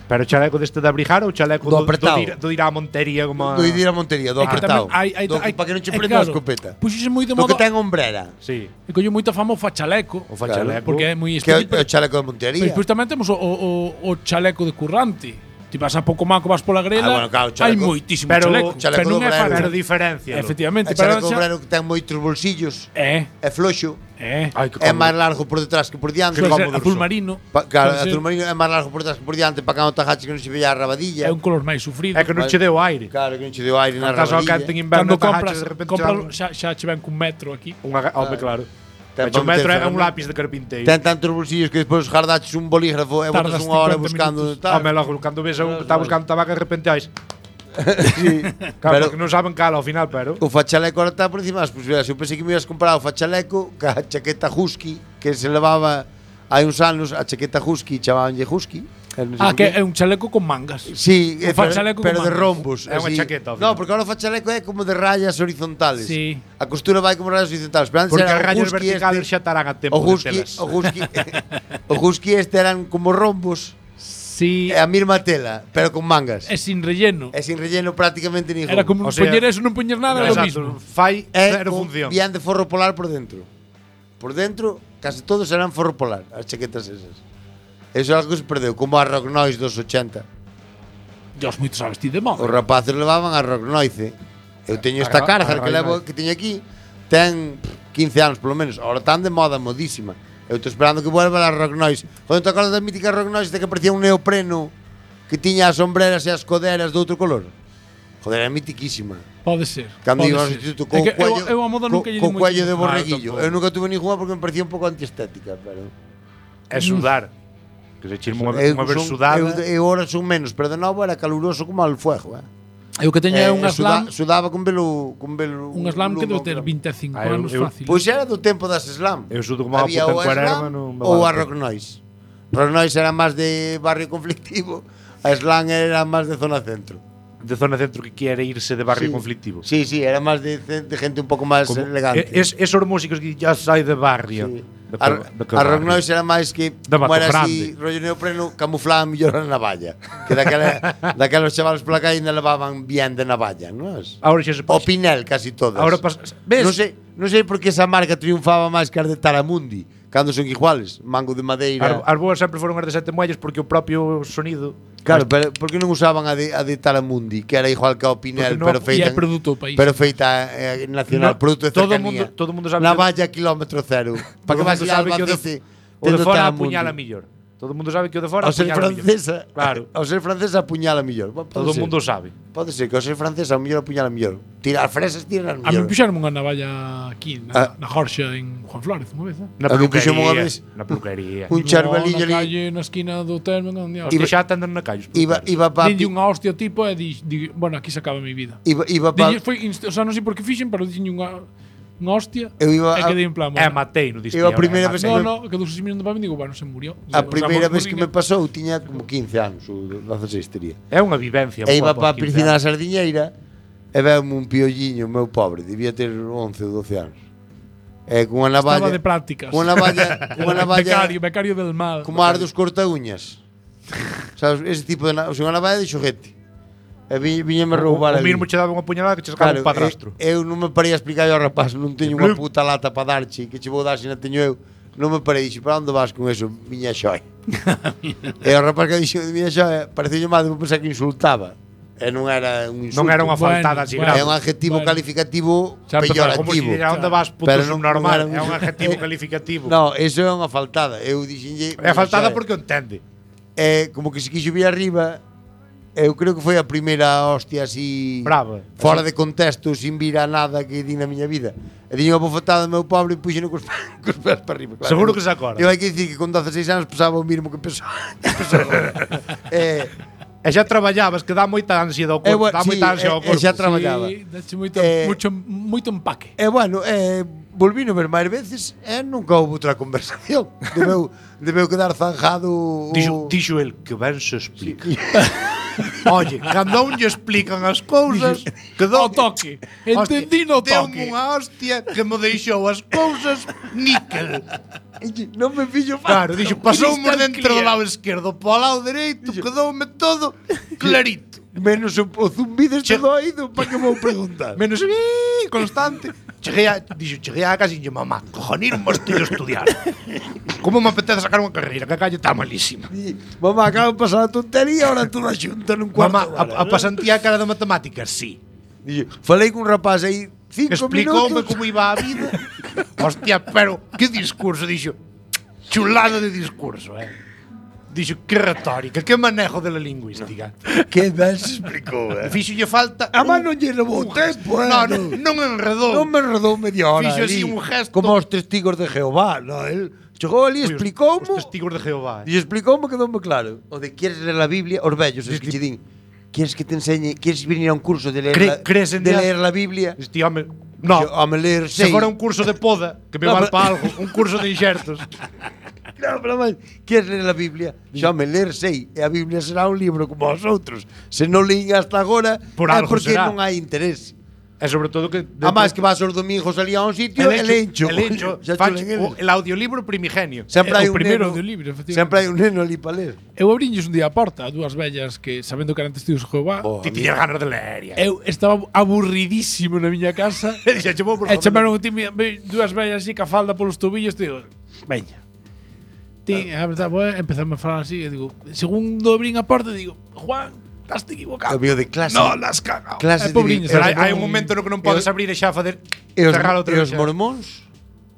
[SPEAKER 8] Pero chaleco deste de abrigar ou chaleco
[SPEAKER 7] Do apretado.
[SPEAKER 8] do ir á Montería como a...
[SPEAKER 7] Do ir a Montería, do
[SPEAKER 2] É que
[SPEAKER 7] apretado.
[SPEAKER 2] tamén
[SPEAKER 7] Para que non che
[SPEAKER 2] é
[SPEAKER 7] prenda a
[SPEAKER 2] claro,
[SPEAKER 7] escopeta.
[SPEAKER 2] Puxose moi de
[SPEAKER 7] Do que
[SPEAKER 2] moda.
[SPEAKER 7] ten ombrera.
[SPEAKER 8] Sí.
[SPEAKER 2] E colleu moita fama o fachaleco.
[SPEAKER 8] O fa chaleco.
[SPEAKER 2] Porque é moi
[SPEAKER 7] Que é
[SPEAKER 2] específico.
[SPEAKER 7] o chaleco de
[SPEAKER 2] Pero
[SPEAKER 7] Montería.
[SPEAKER 2] despois tamén temos o chaleco de currante. Ti vas a pouco maco, vas pola grela,
[SPEAKER 7] bueno, claro,
[SPEAKER 2] hai
[SPEAKER 7] chaleco-
[SPEAKER 2] moitísimo
[SPEAKER 8] pero
[SPEAKER 2] chaleco.
[SPEAKER 7] chaleco
[SPEAKER 2] Pero non
[SPEAKER 7] do
[SPEAKER 2] é
[SPEAKER 7] obrero.
[SPEAKER 8] Pero
[SPEAKER 2] fácil.
[SPEAKER 8] diferencia.
[SPEAKER 2] Efectivamente,
[SPEAKER 7] O
[SPEAKER 2] pero
[SPEAKER 7] chaleco obrero que ten moitos bolsillos.
[SPEAKER 2] É,
[SPEAKER 7] É floxo.
[SPEAKER 2] é.
[SPEAKER 8] Ai, que
[SPEAKER 7] É
[SPEAKER 8] cómodo.
[SPEAKER 7] máis largo por detrás que por diante.
[SPEAKER 2] Pode ser
[SPEAKER 8] cómodos
[SPEAKER 2] azul
[SPEAKER 8] son.
[SPEAKER 2] marino.
[SPEAKER 7] Claro,
[SPEAKER 2] pode ser-
[SPEAKER 7] azul marino é máis largo por detrás que por diante para que non te agaches que non se vea a rabadilla.
[SPEAKER 2] É un color máis sufrido.
[SPEAKER 8] É que non che deu aire.
[SPEAKER 7] Claro, que non che deu aire na
[SPEAKER 8] Estás ao cante
[SPEAKER 7] rabadilla.
[SPEAKER 8] en inverno,
[SPEAKER 2] Cando compras,
[SPEAKER 8] de repente
[SPEAKER 2] compras xa che ven cun metro aquí.
[SPEAKER 8] Home, claro.
[SPEAKER 7] Ten
[SPEAKER 8] Pero un
[SPEAKER 7] para
[SPEAKER 8] metro
[SPEAKER 7] meter
[SPEAKER 8] é un
[SPEAKER 7] ferramenta.
[SPEAKER 8] lápiz de carpinteiro.
[SPEAKER 7] Ten tantos bolsillos que despois jardaches un bolígrafo e botas
[SPEAKER 2] Tardas
[SPEAKER 7] unha hora
[SPEAKER 2] 50
[SPEAKER 7] buscando
[SPEAKER 2] minutos.
[SPEAKER 7] tal.
[SPEAKER 8] Home, logo, cando ves a un que está buscando tabaco, de repente vais.
[SPEAKER 7] Sí.
[SPEAKER 8] Claro,
[SPEAKER 7] Pero
[SPEAKER 8] porque non saben cala ao final, pero...
[SPEAKER 7] o fachaleco ahora está por encima das posibilidades. Eu pensei que me ibas comprar o fachaleco ca chaqueta husky que se levaba hai uns anos, a chaqueta husky chamabanlle husky. Non sei
[SPEAKER 2] Ah,
[SPEAKER 7] por
[SPEAKER 2] que
[SPEAKER 7] qué.
[SPEAKER 2] é un chaleco con mangas.
[SPEAKER 7] Sí,
[SPEAKER 2] Un fachaleco
[SPEAKER 7] pero
[SPEAKER 2] con
[SPEAKER 7] de
[SPEAKER 2] mangas.
[SPEAKER 7] rombos.
[SPEAKER 8] É unha
[SPEAKER 7] así.
[SPEAKER 8] chaqueta, ao
[SPEAKER 7] No,
[SPEAKER 8] final.
[SPEAKER 7] porque ahora o fachaleco é como de rayas horizontales.
[SPEAKER 2] Sí.
[SPEAKER 7] A costura vai como rayas horizontales. Pero antes
[SPEAKER 8] Porque
[SPEAKER 7] era
[SPEAKER 8] as
[SPEAKER 7] o
[SPEAKER 8] rayas
[SPEAKER 7] husky
[SPEAKER 8] verticales
[SPEAKER 7] este,
[SPEAKER 8] xa estarán a tempo
[SPEAKER 7] o
[SPEAKER 8] de
[SPEAKER 7] husky,
[SPEAKER 8] telas.
[SPEAKER 7] o husky este eran como rombos,
[SPEAKER 2] Sí,
[SPEAKER 7] é a mesma tela, pero con mangas.
[SPEAKER 2] é sin relleno.
[SPEAKER 7] É sin relleno prácticamente ningún.
[SPEAKER 2] Era como
[SPEAKER 8] O sea,
[SPEAKER 2] poñer eso, non poñer nada, é lo
[SPEAKER 8] Exacto,
[SPEAKER 2] mismo.
[SPEAKER 8] fai
[SPEAKER 7] É
[SPEAKER 8] cero
[SPEAKER 7] con
[SPEAKER 8] función.
[SPEAKER 7] bien de forro polar por dentro. Por dentro, casi todos eran forro polar, as chaquetas esas. Eso é algo que se perdeu, como a Rock Noise dos 80.
[SPEAKER 2] Dios, moito sabes ti de moda.
[SPEAKER 7] Os rapaces levaban a Rock Noise. Eu teño esta cárcel que levo que teño aquí, ten 15 anos polo menos. Ahora tan de moda, modísima. Eu estou esperando que vuelva a Rock Noise. Quando te acordas da mítica Rock Noise de que parecía un neopreno que tiña as sombreras e as coderas de outro color? Joder, era mitiquísima.
[SPEAKER 2] Pode ser.
[SPEAKER 7] Cando
[SPEAKER 2] pode
[SPEAKER 7] iba ao
[SPEAKER 2] ser.
[SPEAKER 7] instituto
[SPEAKER 2] É
[SPEAKER 7] co
[SPEAKER 2] que
[SPEAKER 7] cuello,
[SPEAKER 2] eu a moda nunca lle di
[SPEAKER 7] co
[SPEAKER 2] moito.
[SPEAKER 7] cuello de
[SPEAKER 8] Ah,
[SPEAKER 7] borreguillo.
[SPEAKER 8] tampouco.
[SPEAKER 7] Eu nunca tuve ninguna porque me parecía un pouco antiestética, pero
[SPEAKER 8] É sudar. Que se chirma unha vez
[SPEAKER 7] son-
[SPEAKER 8] sudada.
[SPEAKER 7] eu ahora son menos, pero de novo era caluroso como al fuego,
[SPEAKER 2] Eu que teño é un slam,
[SPEAKER 7] sudaba con velo
[SPEAKER 2] un slam que debe ter 25
[SPEAKER 8] Ah, eu-
[SPEAKER 2] anos
[SPEAKER 8] eu-
[SPEAKER 2] fácil.
[SPEAKER 7] Pois era do tempo das slam.
[SPEAKER 8] Eu sudo como a
[SPEAKER 7] Había
[SPEAKER 8] puta
[SPEAKER 7] o
[SPEAKER 8] en Cuerva,
[SPEAKER 7] slam
[SPEAKER 8] non me
[SPEAKER 7] ou a
[SPEAKER 8] vale.
[SPEAKER 7] rock noise. Rock noise era máis de barrio conflictivo, a slam era máis de zona centro.
[SPEAKER 8] De zona centro que quere irse de barrio
[SPEAKER 7] Sí.
[SPEAKER 8] conflictivo.
[SPEAKER 7] Sí, sí, era máis de gente un pouco máis
[SPEAKER 8] Como-
[SPEAKER 7] elegante.
[SPEAKER 8] Esos músicos que ya sai de barrio.
[SPEAKER 7] Sí.
[SPEAKER 8] De
[SPEAKER 7] A,
[SPEAKER 8] que
[SPEAKER 7] a rock
[SPEAKER 8] barrio?
[SPEAKER 7] noise era máis que
[SPEAKER 8] De
[SPEAKER 7] como
[SPEAKER 8] Mato
[SPEAKER 7] era
[SPEAKER 8] Grande.
[SPEAKER 7] así, rollo neopreno, camuflaban mellor a navalla. Que daquelos chavales pola calle ainda levaban bien de navalla, non?
[SPEAKER 8] Ahora xa se
[SPEAKER 7] O Pinel casi todas.
[SPEAKER 8] Ahora ves?
[SPEAKER 7] Non sei por que esa marca triunfaba máis que as de Taramundi, cando son iguales, mango de madeira.
[SPEAKER 8] As boas sempre foron as de Sete Muelles porque o propio sonido.
[SPEAKER 7] Claro, pero por que non usaban a de Taramundi, que era igual que o
[SPEAKER 8] Porque
[SPEAKER 7] Pinel,
[SPEAKER 8] no-
[SPEAKER 7] pero
[SPEAKER 2] E
[SPEAKER 7] feita
[SPEAKER 2] é produto do país.
[SPEAKER 7] pero feita nacional,
[SPEAKER 8] No,
[SPEAKER 7] produto de
[SPEAKER 8] todo
[SPEAKER 7] cercanía.
[SPEAKER 8] mundo sabe
[SPEAKER 7] Navalla kilómetro cero. Para que vas ir a Albacete
[SPEAKER 8] o de
[SPEAKER 7] tendo
[SPEAKER 8] fora
[SPEAKER 7] Taramundi.
[SPEAKER 8] apuñala mellor. Todo mundo sabe que o de fora
[SPEAKER 7] Ao ser
[SPEAKER 8] apuñala mellor.
[SPEAKER 7] francesa,
[SPEAKER 8] Claro.
[SPEAKER 7] ao ser francesa apuñala mellor. Pode
[SPEAKER 8] Todo o
[SPEAKER 7] ser.
[SPEAKER 8] mundo sabe.
[SPEAKER 7] Pode ser que ao ser francesa ao mellor apuñala mellor. Tirar fresas, tiran
[SPEAKER 2] A mí
[SPEAKER 7] mellor.
[SPEAKER 2] puxaron unha navalla aquí, na Jorxa, en Juan Flores, unha vez.
[SPEAKER 8] Na
[SPEAKER 7] A mí puxemos unha
[SPEAKER 8] peluquería.
[SPEAKER 7] vez
[SPEAKER 8] Na peluquería.
[SPEAKER 7] un charvelillo
[SPEAKER 2] Na
[SPEAKER 7] ali.
[SPEAKER 2] calle, na esquina do termo, non dios.
[SPEAKER 8] Hostia, xa atenden na calles.
[SPEAKER 7] Iba pa
[SPEAKER 2] Dille unha hostia ao tipo e bueno, aquí se acaba a mi vida.
[SPEAKER 7] iba pa
[SPEAKER 2] Dille, o sea, non sei por que fixen, pero dixen unha hostia
[SPEAKER 7] Eu iba
[SPEAKER 2] e
[SPEAKER 7] a-
[SPEAKER 2] quedei en plan,
[SPEAKER 8] É
[SPEAKER 2] bueno.
[SPEAKER 8] matei, no diste.
[SPEAKER 7] Eu a primeira vez que
[SPEAKER 2] No, que dos mirando para mí digo, bueno, se murió.
[SPEAKER 7] A primeira vez que me
[SPEAKER 2] pasó.
[SPEAKER 7] pasou tiña como 15 anos, ou 16 tería.
[SPEAKER 8] É unha vivencia.
[SPEAKER 7] E iba
[SPEAKER 8] boa
[SPEAKER 7] pa
[SPEAKER 8] pos 15
[SPEAKER 7] piscina da
[SPEAKER 8] anos.
[SPEAKER 7] Sardiñeira e veume un piolliño, meu pobre, debía ter 11 ou 12 anos. E cunha navalla,
[SPEAKER 2] Estaba de prácticas.
[SPEAKER 7] cunha navalla
[SPEAKER 2] Becario del mal.
[SPEAKER 7] como as dos corta-uñas. Sabes, ese tipo de unha navalla de xoguete. E viñeme roubar
[SPEAKER 8] O
[SPEAKER 7] ali.
[SPEAKER 8] mismo che daba unha puñalada que che sacaba un padrastro.
[SPEAKER 7] eu non me parei a explicar ao rapaz, non teño unha puta lata para darche, que che vou dar se non teño eu. Non me parei, dixo, para onde vas con eso, miña xoia? E o rapaz que dixo, miña xoia, pareceu mal, vou pensar que insultaba. E non era un insulto.
[SPEAKER 8] Non era unha faltada así
[SPEAKER 2] Bueno,
[SPEAKER 8] grave.
[SPEAKER 7] É un adjetivo
[SPEAKER 2] Bueno.
[SPEAKER 7] calificativo
[SPEAKER 2] Xa empezamos,
[SPEAKER 8] Como si
[SPEAKER 7] peyorativo.
[SPEAKER 8] a onde vas puto
[SPEAKER 7] Pero non
[SPEAKER 8] subnormal.
[SPEAKER 7] era un-
[SPEAKER 8] É un adjetivo calificativo.
[SPEAKER 7] No, eso é unha faltada. Eu dixenlle
[SPEAKER 8] É faltada porque o entende.
[SPEAKER 7] é como que se quixo vir arriba Eu creo que foi a primeira hostia así
[SPEAKER 8] Brava.
[SPEAKER 7] fora de contexto, sin vir a nada que di na miña vida. E diño a bofetada do meu pobre e puxeno cos pés para arriba. Claro.
[SPEAKER 8] Seguro que se acorda.
[SPEAKER 7] Eu hai que dicir que con 16 anos pesaba o mínimo que pesaba.
[SPEAKER 8] E xa traballabas, que dá moita ansia do corpo. Dá moita ansia ao corpo.
[SPEAKER 7] xa traballaba.
[SPEAKER 2] Sí, dache moito empaque.
[SPEAKER 7] E bueno, volvino ver máis veces e nunca houve outra conversación. Debeu quedar zanjado.
[SPEAKER 8] Dixo el que ben se explica. Oye, cando a un lle explican as cousas, quedou
[SPEAKER 2] Ao toque. Entendí no toque.
[SPEAKER 8] Deu-me unha hostia que me deixou as cousas níquel.
[SPEAKER 7] Non me fillo
[SPEAKER 8] Claro, dixo, pasoume
[SPEAKER 2] Cristal
[SPEAKER 8] dentro do
[SPEAKER 2] clear.
[SPEAKER 8] lado esquerdo para o lado dereito, quedoume todo clarito.
[SPEAKER 7] menos o zumbido este do oído, para que vou preguntar.
[SPEAKER 8] Menos constante. Cheguei a casa e dixo, mamá, cojonir un mosteiro a estudiar. Como me apetece sacar unha carreira, que a calle está malísima.
[SPEAKER 7] Mamá, acaba de pasar a tontería, ahora toda xunta nun cuarto.
[SPEAKER 8] Mamá, a pasantía cara de matemáticas, sí.
[SPEAKER 7] Dixo, falei cun rapaz aí 5
[SPEAKER 8] Explicoume
[SPEAKER 7] minutos.
[SPEAKER 8] como iba a vida. Hostia, pero que discurso, dixo. Chulada de discurso, Dixo, que retórica, que manejo de la lingüística.
[SPEAKER 7] Que ben se explicou,
[SPEAKER 8] Fixolle falta...
[SPEAKER 7] A man non lle levou tempo,
[SPEAKER 8] Non enredou.
[SPEAKER 7] Non me enredou media hora.
[SPEAKER 8] Fixo así
[SPEAKER 7] ali,
[SPEAKER 8] un gesto.
[SPEAKER 7] Como os testigos de Jehová, no, el chegou ali,
[SPEAKER 8] Os
[SPEAKER 7] explicoume.
[SPEAKER 8] testigos de Jehová.
[SPEAKER 7] E explicoume, quedoume claro. O de quieres ler a Biblia, os vellos, os que che din. Quieres que te enseñe, quieres venir a un curso de leer,
[SPEAKER 8] Crees en
[SPEAKER 7] de
[SPEAKER 8] Dios?
[SPEAKER 7] leer la Biblia?
[SPEAKER 8] Este home... No,
[SPEAKER 7] Yo, home, leer
[SPEAKER 8] se
[SPEAKER 7] sei.
[SPEAKER 8] fora un curso de poda, que me
[SPEAKER 7] No,
[SPEAKER 8] vale
[SPEAKER 7] pero-
[SPEAKER 8] para algo, un curso de inxertos.
[SPEAKER 7] No, pero máis, quieres ler a Biblia? Xa me ler sei, e a Biblia será un libro como os outros. Se non leín hasta agora,
[SPEAKER 8] Por
[SPEAKER 7] é
[SPEAKER 8] algo
[SPEAKER 7] porque
[SPEAKER 8] será.
[SPEAKER 7] non hai interés.
[SPEAKER 8] E sobre todo que...
[SPEAKER 7] A máis que vas os domingos ali a un sitio, el encho.
[SPEAKER 8] El encho.
[SPEAKER 7] Xa
[SPEAKER 8] Facho
[SPEAKER 7] chulen eles.
[SPEAKER 8] el audiolibro primigenio.
[SPEAKER 7] Sempre hai
[SPEAKER 2] o
[SPEAKER 7] un
[SPEAKER 2] primeiro
[SPEAKER 7] neno,
[SPEAKER 2] audiolibro, efectivamente.
[SPEAKER 7] sempre hai un neno ali para ler.
[SPEAKER 2] Eu abrinlles un día a porta a dúas vellas que, sabendo que eran testigos de Jehová,
[SPEAKER 8] Ti tiñas ganas de leer.
[SPEAKER 2] eu estaba aburridísimo na miña casa.
[SPEAKER 8] E dixo, "Vou por
[SPEAKER 2] E
[SPEAKER 8] favor".
[SPEAKER 2] chamaron dúas vellas así ca falda polos tobillos, digo, veña. Ti, a verdade, empezamos a falar así, e digo, segundo abrín a porta, digo, Juan, estás equivocado.
[SPEAKER 7] O mío de clase.
[SPEAKER 8] No, las cagao.
[SPEAKER 7] Clase
[SPEAKER 2] pobriños,
[SPEAKER 8] Pero
[SPEAKER 2] Pero
[SPEAKER 8] hai un momento no que non podes abrir e xa facer
[SPEAKER 7] E os,
[SPEAKER 8] cerrar outra
[SPEAKER 7] e
[SPEAKER 8] vez.
[SPEAKER 7] os mormóns?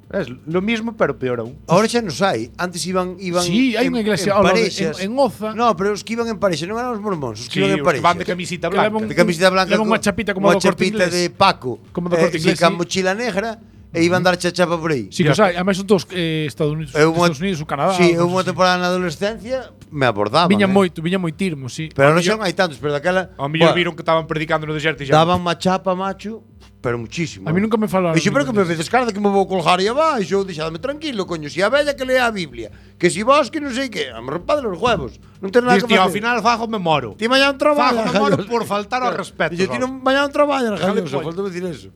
[SPEAKER 8] Es lo mismo, pero peor aún.
[SPEAKER 7] Ahora xa nos hai. Antes iban
[SPEAKER 2] Sí, hai unha iglesia
[SPEAKER 7] en
[SPEAKER 2] ao lado de-
[SPEAKER 7] parexas.
[SPEAKER 2] en Oza.
[SPEAKER 7] No, pero os que iban en parexa non eran os mormóns, os que
[SPEAKER 8] Sí,
[SPEAKER 7] iban en
[SPEAKER 8] os que
[SPEAKER 7] parexa.
[SPEAKER 8] van de camisita
[SPEAKER 2] Que
[SPEAKER 8] blanca.
[SPEAKER 2] levan
[SPEAKER 7] De camiseta blanca
[SPEAKER 2] levan unha chapita como
[SPEAKER 7] unha
[SPEAKER 2] do Corte
[SPEAKER 7] chapita
[SPEAKER 2] Inglés.
[SPEAKER 7] de Paco.
[SPEAKER 2] Como do Corte Inglés,
[SPEAKER 7] Sí, ca
[SPEAKER 2] sí.
[SPEAKER 7] mochila negra e iban dar chachapa por aí.
[SPEAKER 2] Sí, que os hai. Ademais son todos Estados Unidos, Estados Unidos, o Canadá.
[SPEAKER 7] Sí,
[SPEAKER 2] cosas
[SPEAKER 7] unha
[SPEAKER 2] así.
[SPEAKER 7] temporada na adolescencia me abordaban.
[SPEAKER 2] Viña moi tirmo, sí.
[SPEAKER 7] Pero non xa non hai tantos, pero daquela
[SPEAKER 8] Ao mellor
[SPEAKER 7] buah,
[SPEAKER 8] viron que estaban predicando no deserto e xa.
[SPEAKER 7] daban má chapa, macho, pero muchísimo.
[SPEAKER 2] A mí nunca me falaron.
[SPEAKER 7] Dixo, pero que me
[SPEAKER 2] ninguén
[SPEAKER 7] vedes cara de que me vou colgar aí abaixo, deixadme tranquilo, coño, si a bella que lea a Biblia, que si vos que non sei que, a me rompadle os huevos, non ten nada que
[SPEAKER 8] Diz, tío, ao
[SPEAKER 7] facer.
[SPEAKER 8] final fajo me moro.
[SPEAKER 7] Ti mañá non traballas,
[SPEAKER 8] Fajo me moro
[SPEAKER 7] galloso.
[SPEAKER 8] por faltar ao respeto.
[SPEAKER 7] Dixo, ti non mañá non traballas,
[SPEAKER 8] Déjale
[SPEAKER 7] galloso,
[SPEAKER 8] pollo.
[SPEAKER 7] falta decir eso.